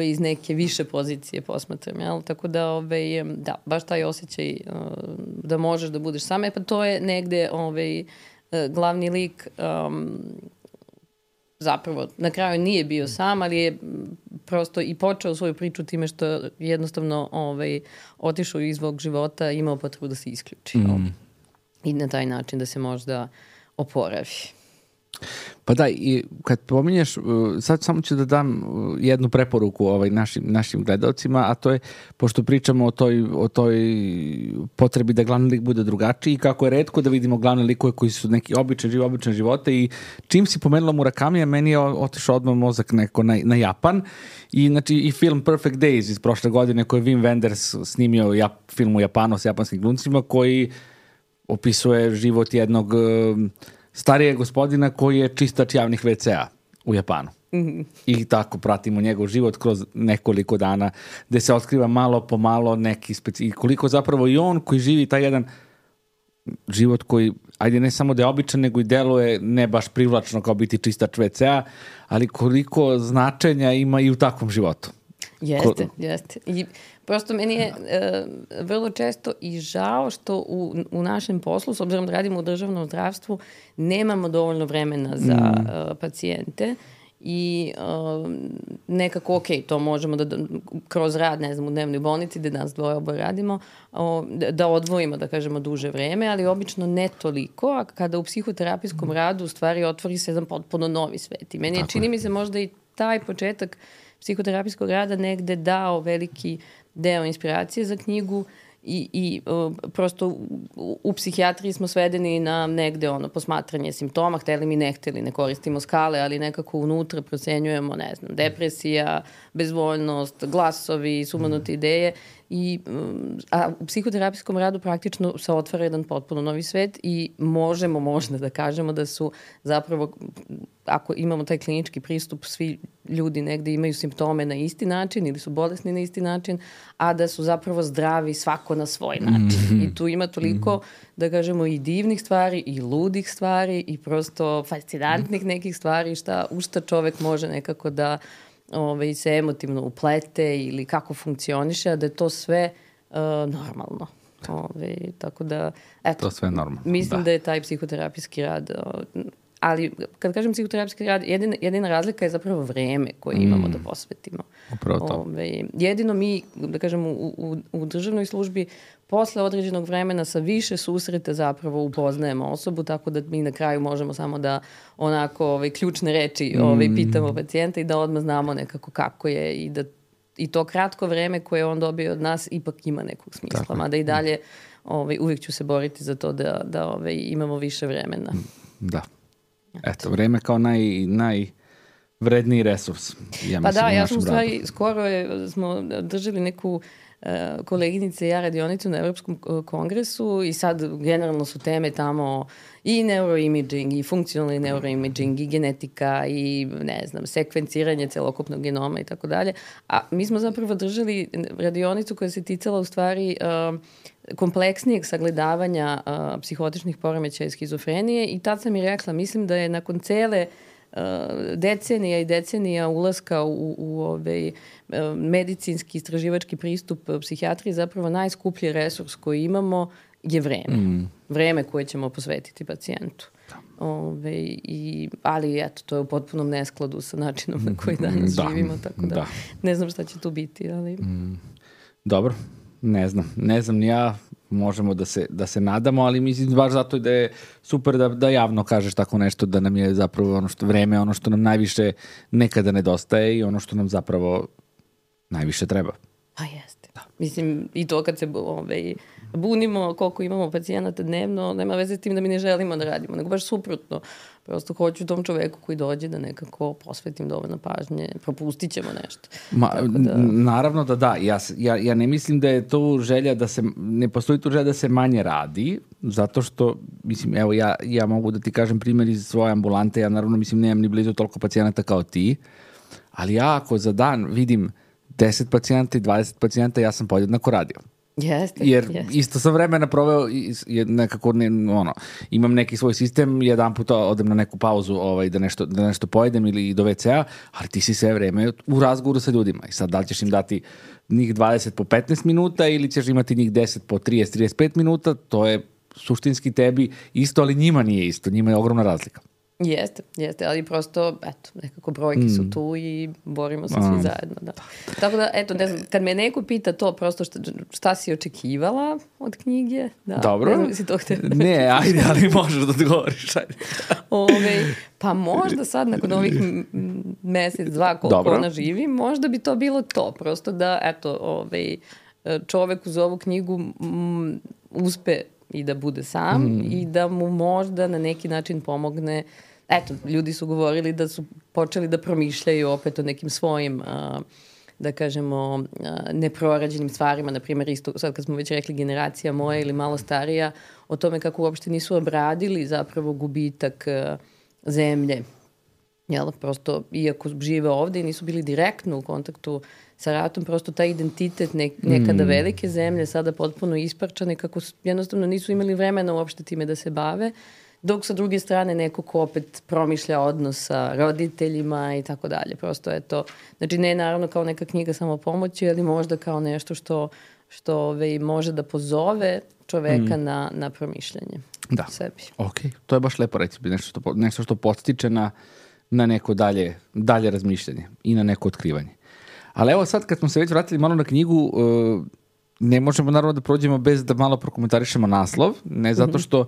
iz neke više pozicije posmatram, jel? Tako da, da, baš taj osjećaj da možeš da budeš sam. Pa to je negde glavni lik zapravo na kraju nije bio sam, ali je prosto i počeo svoju priču time što jednostavno otišao iz svog života i imao potrebu da se isključi. I na taj način da se možda oporavi. Pa da, i kad pominješ, sad samo ću da dam jednu preporuku našim gledalcima, a to je, pošto pričamo o toj potrebi da glavni lik bude drugačiji, kako je retko da vidimo glavne likove koji su neki običan živote, i čim si pomenula Murakamija, meni je otišao odmah mozak neko na Japan, i znači i film Perfect Days iz prošle godine koji je Wim Wenders snimio film u Japanu s japanskim glumcima, koji opisuje život jednog starijeg gospodina koji je čistač javnih WC-a u Japanu. I tako pratimo njegov život kroz nekoliko dana, gde se otkriva malo po malo neki i koliko zapravo i on koji živi taj jedan život koji, ajde ne samo da je običan, nego i deluje ne baš privlačno kao biti čistač WC-a, ali koliko značenja ima i u takvom životu. Jeste. I prosto meni je vrlo često i žao što u našem poslu, s obzirom da radimo u državnom zdravstvu, nemamo dovoljno vremena za pacijente i nekako, ok, to možemo da kroz rad, ne znam, u dnevnoj bolnici gde nas dvoje oboje radimo, da odvojimo, da kažemo, duže vreme, ali obično ne toliko, a kada u psihoterapijskom radu u stvari otvori se jedan potpuno novi svet. I meni je, čini mi se, možda i taj početak psihoterapijskog rada negde dao veliki deo inspiracije za knjigu i prosto u psihijatriji smo svedeni na negde posmatranje simptoma, hteli mi ne hteli, ne koristimo skale, ali nekako unutra procenjujemo, ne znam, depresija, bezvoljnost, glasovi, sumanute ideje, a u psihoterapijskom radu praktično se otvara jedan potpuno novi svet i možemo možda da kažemo da su zapravo, ako imamo taj klinički pristup, svi ljudi negde imaju simptome na isti način ili su bolesni na isti način, a da su zapravo zdravi svako na svoj način. I tu ima toliko, da kažemo, i divnih stvari i ludih stvari i prosto fascinantnih nekih stvari u šta čovek može nekako da se emotivno uplete ili kako funkcioniše, a da je to sve normalno. Tako da, eto, to sve normalno. Mislim da je taj psihoterapijski rad, ali kad kažem psihoterapijski rad, jedina razlika je zapravo vreme koje imamo da posvetimo. Upravo to. Jedino mi, da kažem, u državnoj službi posle određenog vremena sa više susreta zapravo upoznajemo osobu, tako da mi na kraju možemo samo da onako ključne reči pitamo pacijenta i da odmah znamo nekako kako je i da i to kratko vreme koje on dobio od nas ipak ima nekog smisla. Mada i dalje uvijek ću se boriti za to da imamo više vremena. Da. Eto, vreme kao najvredniji resurs. Ja sam u stvari, skoro smo držali neku koleginice i ja radionicu na Evropskom kongresu i sad generalno su teme tamo i neuroimaging i funkcionalni neuroimaging i genetika i ne znam, sekvenciranje celokupnog genoma i tako dalje. A mi smo zapravo držali radionicu koja se ticala u stvari kompleksnijeg sagledavanja psihotičnih poremećaja i schizofrenije i tad sam i rekla, mislim da je nakon cele decenija i decenija ulaska u medicinski istraživački pristup psihijatriji zapravo najskuplji resurs koji imamo je vreme. Vreme koje ćemo posvetiti pacijentu. Ali eto, to je u potpunom neskladu sa načinom na koji danas živimo, tako da ne znam šta će tu biti. Ali... Dobro, ne znam ni ja, možemo da se nadamo, ali mislim baš zato da je super da javno kažeš tako nešto, da nam je zapravo vreme ono što nam najviše nekada nedostaje i ono što nam zapravo najviše treba. Pa jeste. Da. Mislim, i to kad se bunimo koliko imamo pacijenata dnevno, nema veze s tim da mi ne želimo da radimo, nego baš suprotno. Prosto hoću tom čoveku koji dođe da nekako posvetim dovoljno pažnje, propustit ćemo nešto. Naravno da. Ja ne mislim da je to želja ne postoji tu želja da se manje radi, zato što, mislim, evo ja mogu da ti kažem primjer iz svoje ambulante, ja naravno mislim nemam ni blizu toliko pacijenata kao ti, ali ja ako za dan vidim 10 pacijenta i 20 pacijenta, ja sam podjednako radio. Jer isto sam vremena proveo nekako, imam neki svoj sistem, jedan puta odem na neku pauzu da nešto pojedem ili do WC-a, ali ti si sve vreme u razgovoru sa ljudima i sad da li ćeš im dati njih 20 po 15 minuta ili ćeš imati njih 10 po 30-35 minuta, to je suštinski tebi isto, ali njima nije isto, njima je ogromna razlika. Jeste, ali prosto, eto, nekako brojke su tu i borimo se svi zajedno, da. Tako da, eto, ne znam, kad me neko pita to, prosto šta si očekivala od knjige, da. Dobro. Ne znam, si to htjela. Ne, ajde, ali možeš da odgovoriš, ajde. Pa možda sad, nakon ovih mesec, dva, koliko ona živi, možda bi to bilo to, prosto da, eto, čovek uz ovu knjigu uspe i da bude sam i da mu možda na neki način pomogne. Eto, ljudi su govorili da su počeli da promišljaju opet o nekim svojim, da kažemo, neprorađenim stvarima, na primjer, isto, sad kad smo već rekli generacija moja ili malo starija, o tome kako uopšte nisu obradili zapravo gubitak zemlje. Jel, prosto, iako žive ovde i nisu bili direktno u kontaktu sa ratom, prosto taj identitet nekada velike zemlje, sada potpuno isparčane, kako jednostavno nisu imali vremena uopšte time da se bave, dok sa druge strane neko ko opet promišlja odnos sa roditeljima i tako dalje. Prosto je to, znači ne naravno kao neka knjiga samopomoći, ali možda kao nešto što može da pozove čoveka na promišljanje sebi. Ok, to je baš lepo reći, nešto što podstiče na neko dalje razmišljanje i na neko otkrivanje. Ali evo sad kad smo se već vratili malo na knjigu, ne možemo naravno da prođemo bez da malo prokomentarišemo naslov, ne zato što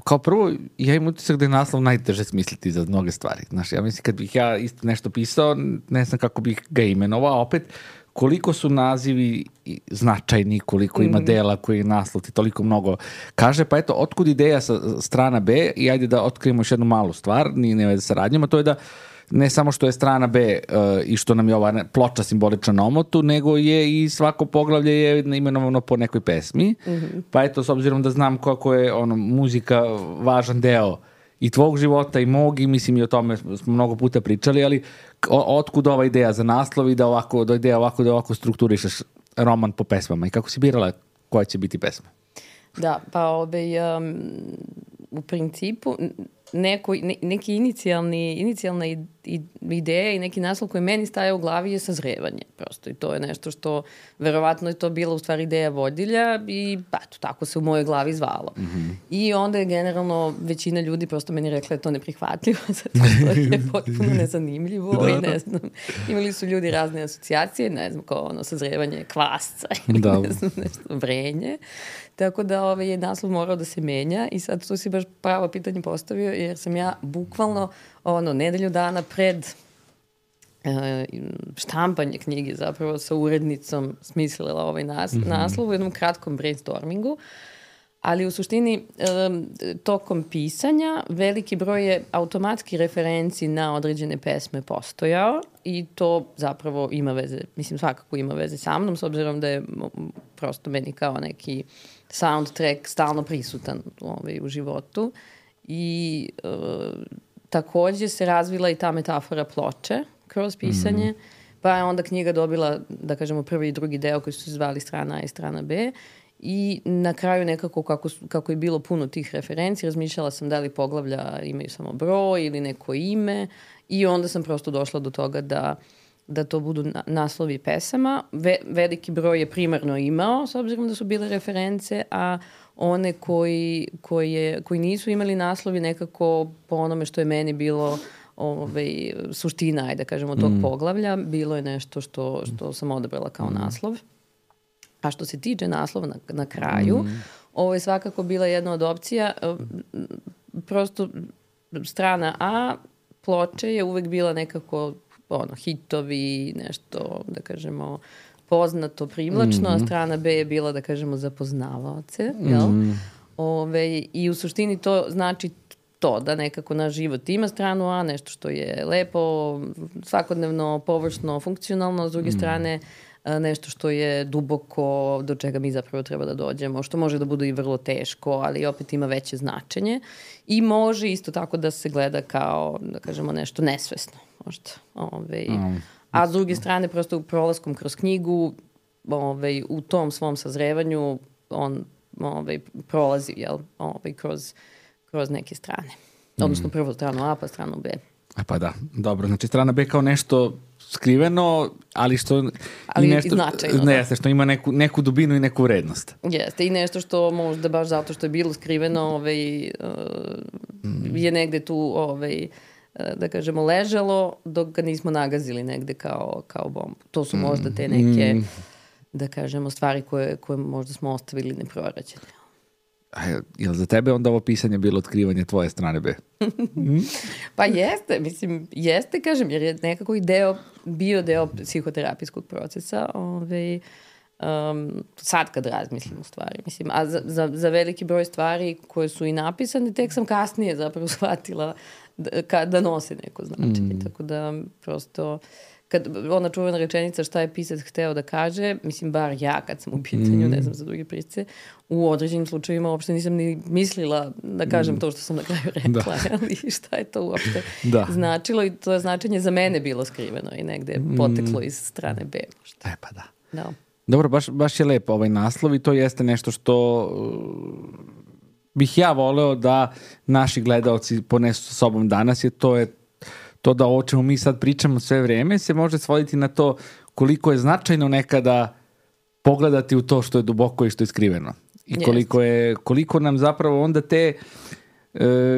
kao prvo, ja imam utisak da je naslov najteže smisliti za mnoge stvari. Znaš, ja mislim kad bih ja isto nešto pisao, ne znam kako bih ga imenovao, opet koliko su nazivi značajni, koliko ima dela koji naslov ti toliko mnogo kaže, pa eto, otkud ideja sa strana B i ajde da otkrijemo još jednu malu stvar, nije veze sa radnjom, a to je da ne samo što je strana B i što nam je ova ploča simbolična na omotu, nego je i svako poglavlje je imenovano po nekoj pesmi. Pa eto, s obzirom da znam kako je muzika važan deo i tvog života i mog, i mislim i o tome smo mnogo puta pričali, ali otkud ova ideja za naslov i da ovako strukturišeš roman po pesmama i kako si birala koja će biti pesma? Da, pa u principu neki inicijalna ideja i neki naslov koji meni staje u glavi je sazrevanje prosto i to je nešto što verovatno je to bila u stvari ideja vodilja i tako se u mojoj glavi zvalo. I onda je generalno većina ljudi prosto meni rekla je to neprihvatljivo zato što je potpuno nezanimljivo i ne znam, imali su ljudi razne asocijacije, ne znam kao sazrevanje kvasca ili ne znam nešto, vrenje. Tako da je naslov morao da se menja i sad tu si baš pravo pitanje postavio jer sam ja bukvalno nedelju dana pred štampanje knjige zapravo sa urednicom smislila ovaj naslov u jednom kratkom brainstormingu. Ali u suštini tokom pisanja veliki broj je automatski referenci na određene pesme postojao i to zapravo ima veze, mislim svakako ima veze sa mnom, s obzirom da je prosto meni kao neki soundtrack stalno prisutan u životu. I takođe se razvila i ta metafora ploče kroz pisanje, pa je onda knjiga dobila, da kažemo, prvi i drugi deo koji su se zvali strana A i strana B. I na kraju nekako kako je bilo puno tih referenci, razmišljala sam da li poglavlja imaju samo broj ili neko ime i onda sam prosto došla do toga da to budu naslovi pesama. Veliki broj je primarno imao, s obzirom da su bile reference, a one koji nisu imali naslovi nekako po onome što je meni bilo suština, ajde da kažemo, tog poglavlja, bilo je nešto što sam odabrala kao naslov. A što se tiče naslova na kraju, ovo je svakako bila jedna od opcija. Prosto strana A ploče je uvek bila nekako hitovi, nešto, da kažemo, poznato, privlačno, a strana B je bila, da kažemo, za poznavaoce. I u suštini to znači to, da nekako naš život ima stranu A, nešto što je lepo, svakodnevno, površno, funkcionalno, s druge strane nešto što je duboko, do čega mi zapravo treba da dođemo, što može da bude i vrlo teško, ali opet ima veće značenje i može isto tako da se gleda kao, da kažemo, nešto nesvesno možda. A s druge strane, prosto prolaskom kroz knjigu, u tom svom sazrevanju on prolazi kroz neke strane. Odnosno prvo stranu A pa stranu B. Pa da, dobro. Znači strana B kao nešto skriveno, ali što... Ali nešto, i značajno. Ne, jeste, što ima neku dubinu i neku vrednost. Jeste, i nešto što možda baš zato što je bilo skriveno je negde tu da kažemo ležalo dok ga nismo nagazili negde kao bombu. To su možda te neke da kažemo stvari koje možda smo ostavili neprorađene. Je li za tebe onda ovo pisanje bilo otkrivanje tvoje strane B? Pa jeste, mislim, jeste, kažem, jer je nekako i bio deo psihoterapijskog procesa, sad kad razmislim u stvari, mislim, a za veliki broj stvari koje su i napisane, tek sam kasnije zapravo shvatila da nose neko značenje, tako da prosto... ona čuvena rečenica šta je pisac hteo da kaže, mislim, bar ja kad sam u pitanju, ne znam za druge pisce, u određenim slučajima uopšte nisam ni mislila da kažem to što sam na kraju rekla, ali šta je to uopšte značilo i to je značenje za mene bilo skriveno i negde poteklo iz strane B. Možda. Pa da. Dobro, baš je lepo ovaj naslov i to jeste nešto što bih ja voleo da naši gledaoci ponesu sa sobom danas, jer to da o čemu mi sad pričamo sve vreme se može svoditi na to koliko je značajno nekada pogledati u to što je duboko i što je skriveno. I koliko nam zapravo onda te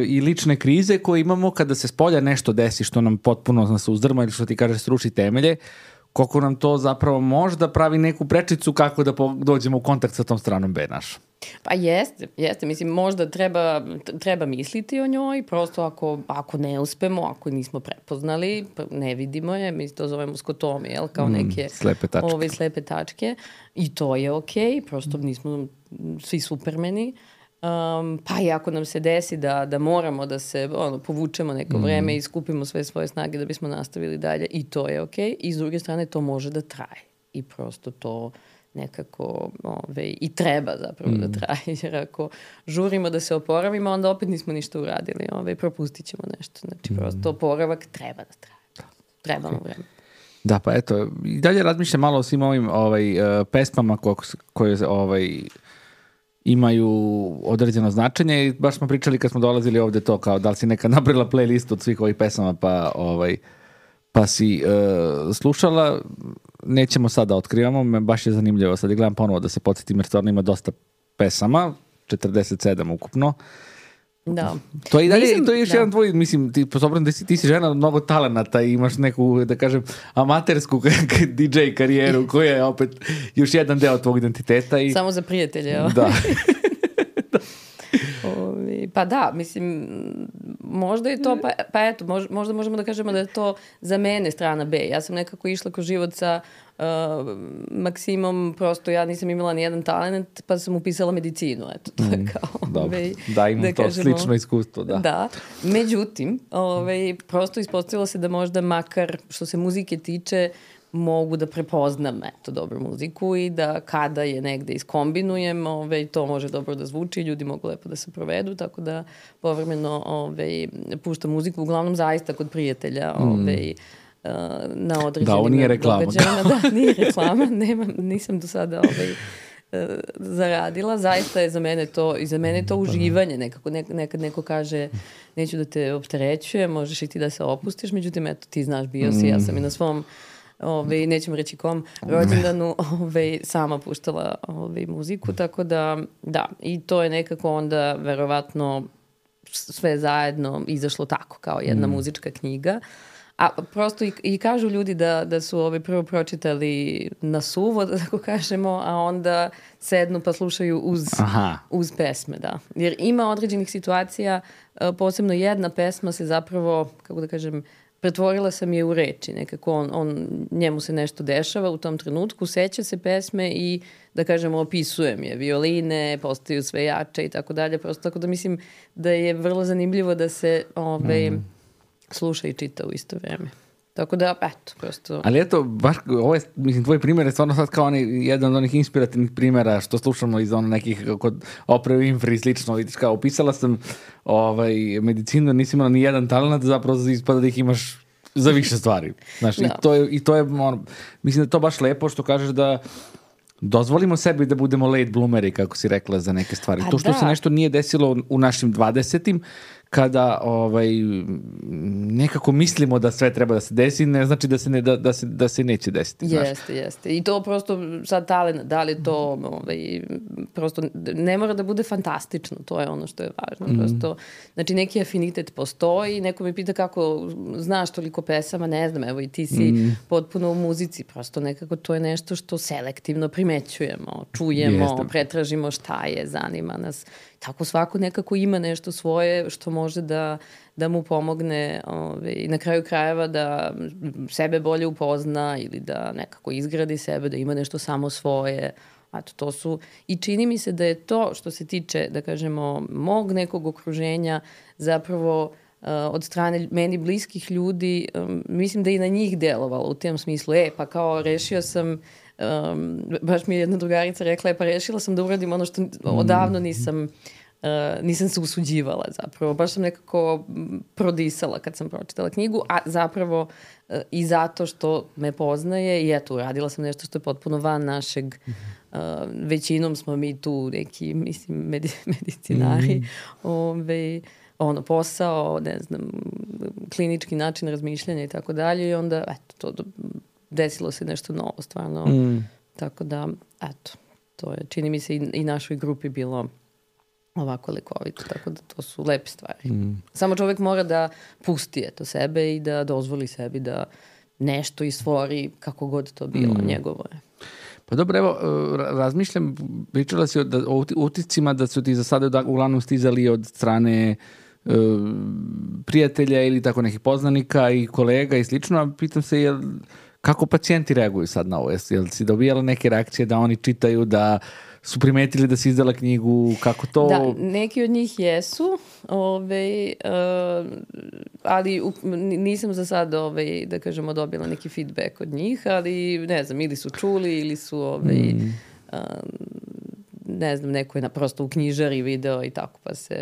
i lične krize koje imamo kada se spolja nešto desi što nam potpuno nas uzdrma ili što ti kaže sruši temelje, koliko nam to zapravo možda pravi neku prečicu kako da dođemo u kontakt sa tom stranom B našom. Pa jeste. Mislim, možda treba misliti o njoj, prosto ako ne uspemo, ako nismo prepoznali, ne vidimo je, mi to zovemo skotomi, kao neke slepe tačke. I to je okej, prosto nismo svi supermeni. Pa i ako nam se desi da moramo da se povučemo neko vreme i skupimo sve svoje snage da bismo nastavili dalje, i to je okej. I s druge strane to može da traje. I prosto to nekako i treba zapravo da traje. Jer ako žurimo da se oporavimo, onda opet nismo ništa uradili. Propustit ćemo nešto. Znači prosto oporavak treba da traje. Trebamo vreme. Da, pa eto, i dalje razmišljam malo o svim ovim pesmama koje imaju određeno značenje i baš smo pričali kad smo dolazili ovde to kao da li si nekad nabrila playlistu od svih ovih pesama pa si slušala. Nećemo sad da otkrivamo, baš je zanimljivo. Sad je gledam ponovo da se podsjetim jer stvarno ima dosta pesama, 47 ukupno. Da. To je i dalje, to je još jedan tvoj, mislim, ti si žena od mnogo talenata i imaš neku, da kažem, amatersku DJ karijeru koja je opet još jedan deo tvog identiteta. Samo za prijatelje. Da. Pa da, mislim, možda je to, pa eto, možda možemo da kažemo da je to za mene strana B. Ja sam nekako išla kroz život sa Maksimom, prosto ja nisam imala ni jedan talent, pa sam upisala medicinu, eto, to je kao... Da, imam to kažemo, slično iskustvo, da. Da, međutim, prosto ispostavilo se da možda makar što se muzike tiče, mogu da prepoznam dobru muziku i da kada je negde iskombinujem, to može dobro da zvuči, ljudi mogu lepo da se provedu, tako da povremeno puštam muziku, uglavnom zaista kod prijatelja, na određenim da, ovo nije reklama. Da, nije reklama, nisam do sada zaradila, zaista je za mene to uživanje, nekako, nekad neko kaže neću da te opterećujem, možeš i ti da se opustiš, međutim, eto, ti znaš, bio si, ja sam i na svom nećemo reći kom rođendanu sama puštala muziku, tako da i to je nekako onda verovatno sve zajedno izašlo tako kao jedna muzička knjiga. A prosto i kažu ljudi da su prvo pročitali na suvo, da tako kažemo, a onda sednu pa slušaju uz pesme, da. Jer ima određenih situacija, posebno jedna pesma se zapravo, kako da kažem, pretvorila sam je u reči, nekako njemu se nešto dešava u tom trenutku, seća se pesme i, da kažemo, opisujem je. Violine postaju sve jače i tako dalje, prosto tako da mislim da je vrlo zanimljivo da se sluša i čita u isto vreme. Tako da, eto, prosto... Ali eto, baš, ovo je, mislim, tvoj primjer je stvarno sad kao jedan od onih inspirativnih primjera što slušamo iz nekih kod Oprah Winfrey i slično, vidiš, kao opisala sam medicinu, nisi imala ni jedan talent, zapravo ispada da ih imaš za više stvari. Znaš, i to je mislim da je to baš lepo što kažeš da dozvolimo sebi da budemo late bloomeri, kako si rekla, za neke stvari. To što se nešto nije desilo u našim 20-im, kada nekako mislimo da sve treba da se desi, ne znači da se neće desiti. Jeste. I to prosto sad talent, da li to prosto ne mora da bude fantastično, to je ono što je važno. Prosto, znači neki afinitet postoji, neko me pita kako znaš toliko pesama, ne znam, evo i ti si potpuno u muzici, prosto nekako to je nešto što selektivno primećujemo, čujemo, pretražimo šta je, zanima nas. Tako svako nekako ima nešto svoje što može da mu pomogne na kraju krajeva da sebe bolje upozna ili da nekako izgradi sebe, da ima nešto samo svoje. Eto, to su, i čini mi se da je to što se tiče, da kažemo, mog nekog okruženja zapravo od strane meni bliskih ljudi, mislim da i na njih delovalo u tem smislu, pa kao rešio sam, baš mi je jedna drugarica rekla, pa rešila sam da uradim ono što odavno nisam se usuđivala zapravo. Baš sam nekako prodisala kad sam pročitala knjigu, a zapravo i zato što me poznaje i eto, uradila sam nešto što je potpuno van našeg, većinom smo mi tu neki, mislim, medicinari, posao, ne znam, klinički način razmišljanja i tako dalje i onda, eto, to desilo se nešto novo, stvarno. Tako da, eto, to je, čini mi se i našoj grupi bilo ovako lekovito, tako da to su lepe stvari. Samo čovjek mora da pusti sebe i da dozvoli sebi da nešto istvori kako god to bilo njegovo je. Pa dobro, evo, razmišljam, pričala si o uticima da su ti za sada uglavnom stizali od strane prijatelja ili tako nekih poznanika i kolega i slično, a pitam se kako pacijenti reaguju sad na ovo? Jel si dobijala neke reakcije da oni čitaju, da su primetili da si izdala knjigu, kako to... Da, neki od njih jesu, ali nisam za sad, da kažemo, dobila neki feedback od njih, ali ne znam, ili su čuli, ili su, ne znam, neko je prosto u knjižari video i tako,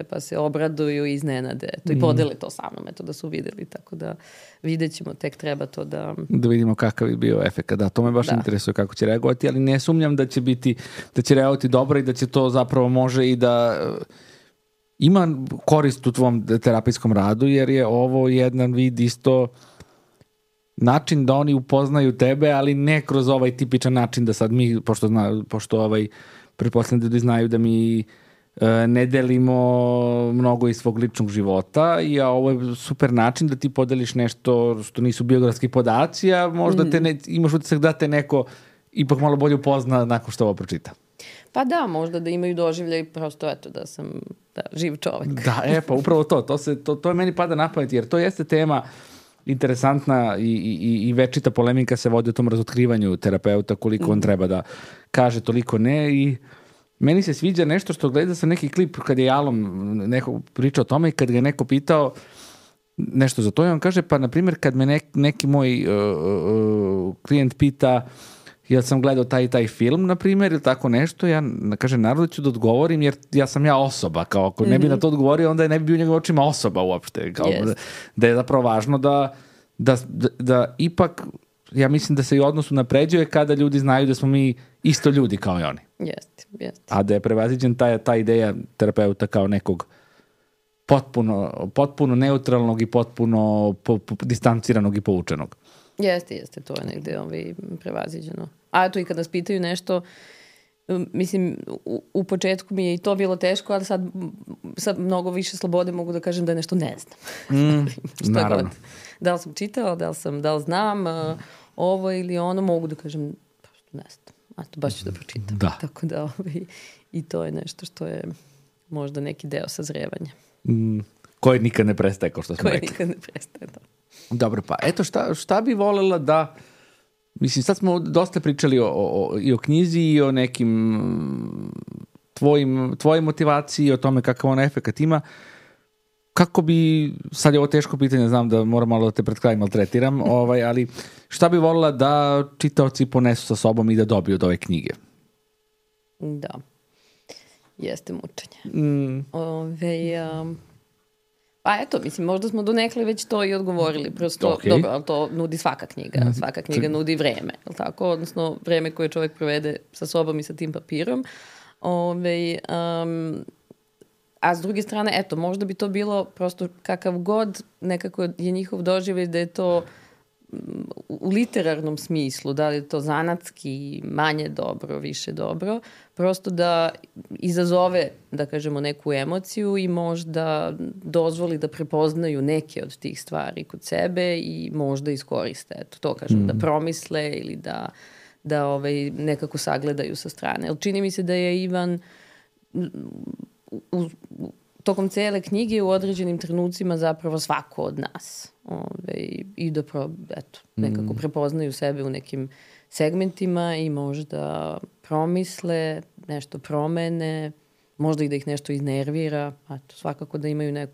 pa se obraduju i iznenade. I podele to sa mnom, da su videli, tako da vidjet ćemo, tek treba to da... Da vidimo kakav je bio efekt. Da, to me baš interesuje kako će reagovati, ali ne sumnjam da će reagovati dobro i da će to zapravo može i da ima korist u tvom terapijskom radu, jer je ovo jedan vid isto način da oni upoznaju tebe, ali ne kroz ovaj tipičan način da sad mi, pošto pretpostavljam da znaju da mi ne delimo mnogo iz svog ličnog života i ovo je super način da ti podeliš nešto što nisu biografski podaci, a možda imaš utisak da te neko ipak malo bolje upozna nakon što ovo pročita. Pa da, možda da imaju doživljaj prosto eto da sam živ čovek. Da, pa upravo to je meni pada na pamet, jer to jeste tema interesantna i večita polemika se vodi o tom razotkrivanju terapeuta, koliko on treba da kaže, toliko ne. I meni se sviđa nešto što gleda sam neki klip kad je Alom neko pričao o tome i kad ga neko pitao nešto za to i on kaže, pa na primjer kad me neki moj klijent pita jel sam gledao taj film, na primjer, ili tako nešto, ja kažem, naravno ću da odgovorim, jer ja sam osoba, kao ako ne bi na to odgovorio, onda ne bi bio u njegovim očima osoba uopšte, kao da je zapravo važno da ipak, ja mislim da se i odnos unapređuje kada ljudi znaju da smo mi isto ljudi kao i oni. Jeste. A da je prevaziđen ta ideja terapeuta kao nekog potpuno neutralnog i potpuno distanciranog i poučenog. Jeste, to je negde prevaziđeno. A eto i kad nas pitaju nešto, mislim, u početku mi je i to bilo teško, ali sad mnogo više slobode mogu da kažem da nešto ne znam. Naravno. God. Da li sam čitala, da li znam ovo ili ono, mogu da kažem ne znam. A to baš ću da pročitam. Da. Tako da i to je nešto što je možda neki deo sazrevanja. Koji nikad ne prestaje, kao što smo rekli. Koji nikad ne prestaje, da. Dobro, pa eto šta bi volela da, mislim sad smo dosta pričali i o knjizi i o nekim tvojoj motivaciji, o tome kakav on efekat ima. Kako bi, sad je ovo teško pitanje, znam da moram malo da te pred kraj maltretiram, ali šta bi volela da čitaoci ponesu sa sobom i da dobiju od ove knjige? Da, jeste mučenje. Pa eto, mislim, možda smo donekle već to i odgovorili. Prosto, dobro, ali to nudi svaka knjiga. Svaka knjiga nudi vreme, je li tako? Odnosno, vreme koje čovjek provede sa sobom i sa tim papirom. A s druge strane, eto, možda bi to bilo prosto kakav god nekako je njihov doživljaj da je to u literarnom smislu, da li je to zanatski, manje dobro, više dobro, prosto da izazove, da kažemo, neku emociju i možda dozvoli da prepoznaju neke od tih stvari kod sebe i možda iskoriste. Eto, to kažem, da promisle ili da nekako sagledaju sa strane. Ali čini mi se da je Ivan tokom cele knjige u određenim trenucima zapravo svako od nas. I da nekako prepoznaju sebe u nekim segmentima i možda promisle, nešto promene, možda i da ih nešto iznervira, svakako da imaju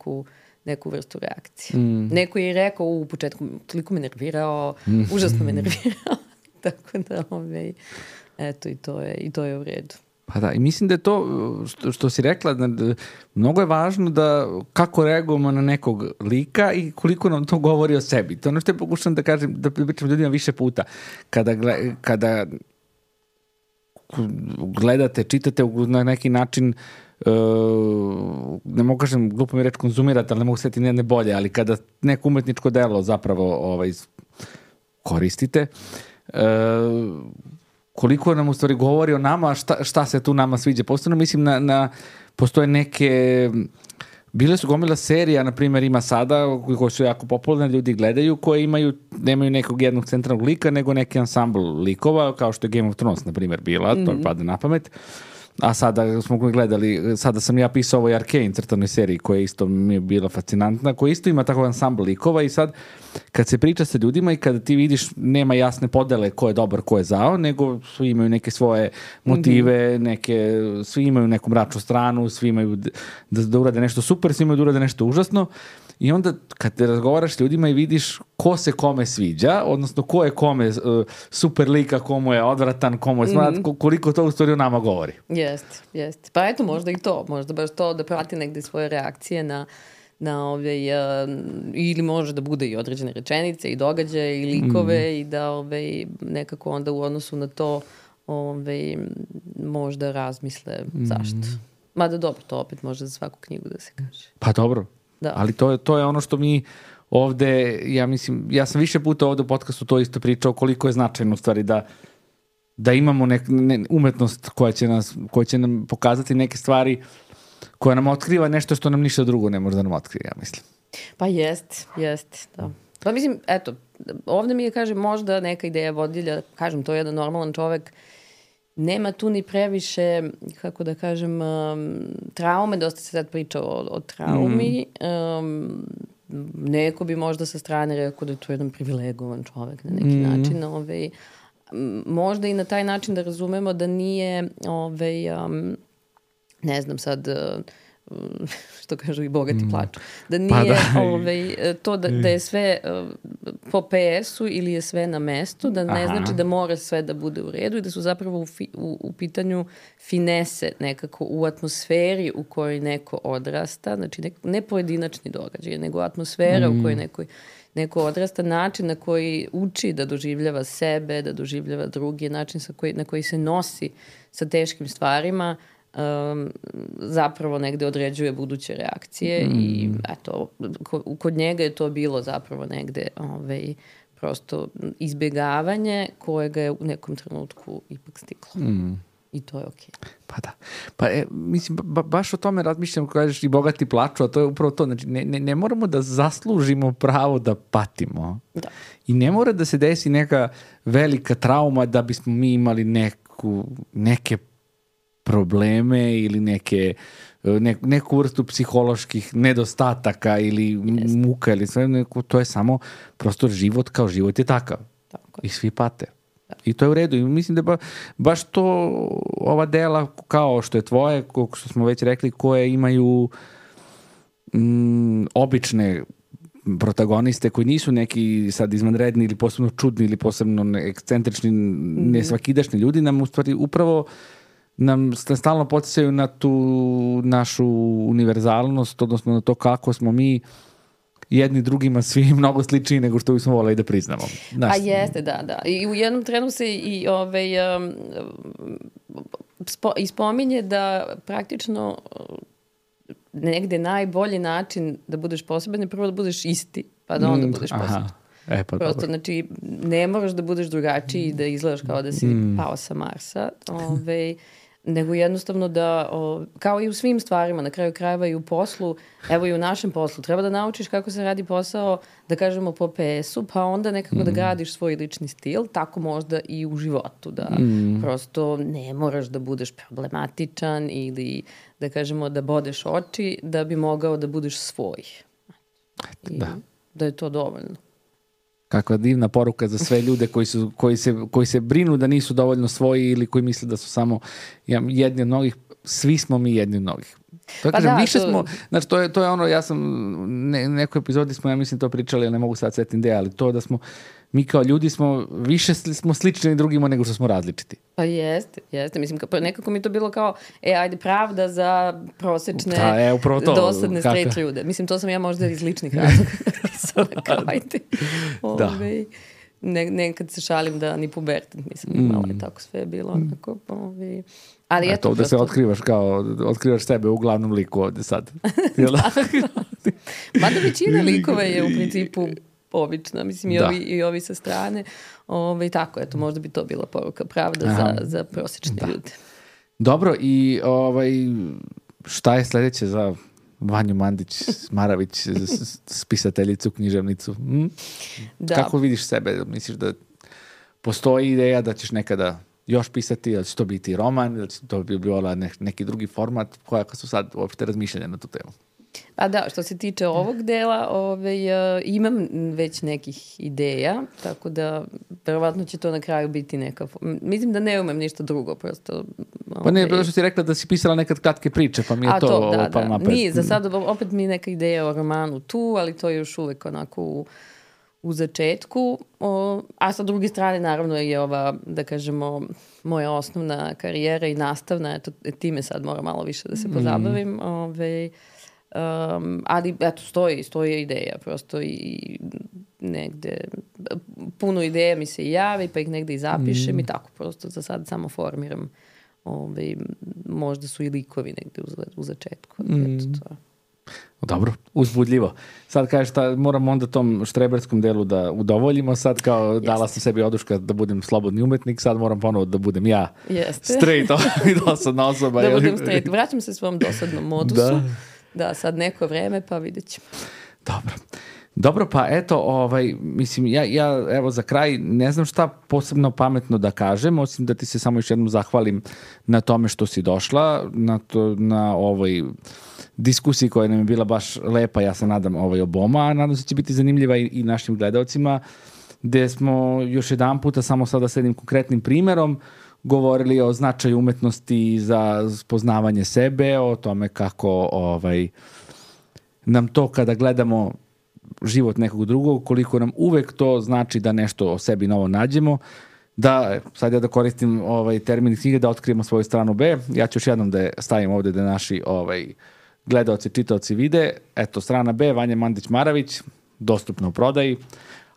neku vrstu reakcije. Neko je i rekao u početku, toliko me nervirao, užasno me nervirao, tako da eto i to je u redu. Pa da, i mislim da je to što si rekla, mnogo je važno da kako reagujemo na nekog lika i koliko nam to govori o sebi. To je ono što je pokušam da kažem, da pričam ljudima više puta. Kada gledate, čitate na neki način, ne mogu kažem, glupo mi reći konzumirate, ali ne mogu setiti nijedne bolje, ali kada neko umetničko delo zapravo koristite, koliko nam u stvari govori o nama, šta se tu nama sviđa. Posebno mislim postoje neke, bile su gomila serija, na primjer ima sada, koje su jako popularne, ljudi gledaju, koje nemaju nekog jednog centralnog lika, nego neki ansambl likova, kao što je Game of Thrones, na primjer, bila, to mi pada na pamet. A sada smo gledali, sada sam ja pisao ovoj Arcane crtanoj seriji koja isto mi je bila fascinantna, koja isto ima tako ansambl likova i sad kad se priča sa ljudima i kada ti vidiš nema jasne podele ko je dobar, ko je zao, nego svi imaju neke svoje motive, svi imaju neku mračnu stranu, svi imaju da urade nešto super, svi imaju da urade nešto užasno. I onda kad te razgovaraš s ljudima i vidiš ko se kome sviđa, odnosno ko je kome super lika, komu je odvratan, komu je smrat, koliko to u stvari o nama govori. Jeste. Pa eto, možda i to. Možda baš to da prati negde svoje reakcije na ili može da bude i određene rečenice i događaje i likove i da nekako onda u odnosu na to možda razmisle zašto. Mada dobro, to opet može za svaku knjigu da se kaže. Pa dobro. Da. Ali to je ono što mi ovde, ja mislim, ja sam više puta ovde u podcastu to isto pričao, koliko je značajno u stvari da imamo umetnost koja će nam pokazati neke stvari, koja nam otkriva nešto što nam ništa drugo ne može da nam otkrije, ja mislim. Pa jeste, da. Pa mislim, eto, ovde mi je, kažem, možda neka ideja vodilja, kažem, to je jedan normalan čovek nema tu ni previše, kako da kažem, traume, dosta se sad priča o traumi. Neko bi možda sa strane rekao da je to jedan privilegovan čovek na neki način. Možda i na taj način da razumemo da nije, ne znam sad, što kažu i bogati plaču, da nije to da je sve po PS-u ili je sve na mestu, da ne znači da mora sve da bude u redu i da su zapravo u pitanju finese nekako u atmosferi u kojoj neko odrasta, znači ne pojedinačni događaj, nego atmosfera u kojoj neko odrasta, način na koji uči da doživljava sebe, da doživljava drugi, način na koji se nosi sa teškim stvarima, zapravo negde određuje buduće reakcije i eto, kod njega je to bilo zapravo negde prosto izbjegavanje kojega je u nekom trenutku ipak stiglo. I to je okej. Pa da. Pa mislim, baš o tome razmišljam, kako kažeš, i bogati plaču, a to je upravo to. Znači, ne moramo da zaslužimo pravo da patimo. Da. I ne mora da se desi neka velika trauma da bismo mi imali neke probleme ili neku vrstu psiholoških nedostataka ili muka ili sve, to je samo prosto život kao život je takav. I svi pate. I to je u redu. I mislim da baš to ova dela kao što je tvoje, što smo već rekli, koje imaju obične protagoniste koji nisu neki sad izvanredni ili posebno čudni ili posebno ekscentrični, nesvakidašnji ljudi, nam u stvari upravo nam stalno podsjećaju na tu našu univerzalnost, odnosno na to kako smo mi jedni drugima svi mnogo sličniji nego što bismo voleli da priznamo. A jeste, da. I u jednom trenu se i ispominje da praktično negde najbolji način da budeš poseban je prvo da budeš isti, pa da onda budeš poseban. Prosto, znači, ne moraš da budeš drugačiji i da izgledaš kao da si pao sa Marsa, nego jednostavno da, kao i u svim stvarima, na kraju krajeva i u poslu, evo i u našem poslu, treba da naučiš kako se radi posao, da kažemo po PS-u, pa onda nekako da gradiš svoj lični stil, tako možda i u životu, da prosto ne moraš da budeš problematičan ili da kažemo da bodeš oči da bi mogao da budeš svoj. I da je to dovoljno. Kakva divna poruka za sve ljude koji se brinu da nisu dovoljno svoji ili koji misle da su samo jedni od mnogih. Svi smo mi jedni od mnogih. To kažem, više smo, znači to je ono, ja sam nekoj epizodi smo, ja mislim to pričali, ali ne mogu sad setim ideja, ali to da smo mi kao ljudi više smo slični drugima nego što smo različiti. Pa jeste. Mislim, nekako mi to bilo kao, ajde, pravda za prosečne, dosadne straight ljude. Mislim, to sam ja možda iz ličnih razloga. Kao, ajde. Nekad se šalim da ni pubertet nisam imala i tako sve je bilo onako. Ali eto, ovdje se otkrivaš sebe u glavnom liku ovdje sad. Mada većina likova je u principu obična, mislim i ovi sa strane. Tako, eto, možda bi to bila poruka pravda za prosječne ljude. Dobro, i šta je sljedeće za Vanju Mandić-Maravić, spisateljicu, književnicu? Kako vidiš sebe? Misliš da postoji ideja da ćeš nekada još pisati, da će to biti roman, da će to bi bila neki drugi format? Koja su sad uopšte razmišljanja na tu temu? A da, što se tiče ovog dela, imam već nekih ideja, tako da verovatno će to na kraju biti neka... Mislim da ne umem ništa drugo, prosto... Pa ne, što si rekla da si pisala nekad kratke priče, pa mi je to napred. Nije, za sad opet mi je neka ideja o romanu tu, ali to je još uvek onako u začetku. A sa druge strane, naravno, je ova, da kažemo, moja osnovna karijera i nastavna, eto, time sad moram malo više da se pozabavim, ali eto, stoji ideja prosto i negde puno ideja mi se javi pa ih negde i zapišem i tako prosto za sad samo formiram možda su i likovi negde u začetku eto to. Dobro, uzbudljivo. Sad kažeš moram onda tom štreberskom delu da udovoljimo, sad kao dala sam sebi oduška da budem slobodni umetnik, sad moram ponovo da budem ja straight i dosadna osoba. Da budem straight, vraćam se svom dosadnom modusu. Da, sad neko vreme, pa vidjet ćemo. Dobro. Dobro, pa eto, mislim, ja evo za kraj ne znam šta posebno pametno da kažem, osim da ti se samo još jednom zahvalim na tome što si došla, na ovoj diskusiji koja nam je bila baš lepa, ja se nadam oboma, a nadam se da će biti zanimljiva i našim gledalcima, gde smo još jedan puta, samo sada s jednim konkretnim primerom, govorili o značaju umetnosti za spoznavanje sebe, o tome kako nam to kada gledamo život nekog drugog, koliko nam uvek to znači da nešto o sebi novo nađemo, da, sad ja da koristim termin knjige, da otkrijemo svoju stranu B, ja ću još jednom da je stavim ovde da naši gledaoci, čitaoci vide, eto, strana B, Vanja Mandić-Maravić, dostupna u prodaji,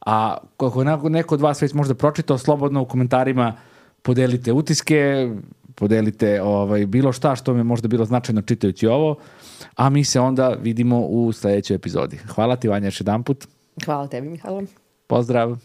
a kako neko od vas već možda pročitao, slobodno u komentarima podelite utiske, podelite bilo šta što mi je možda bilo značajno čitajući ovo, a mi se onda vidimo u sledećoj epizodi. Hvala ti, Vanja, još jedan put. Hvala tebi, Mihajlo. Pozdrav.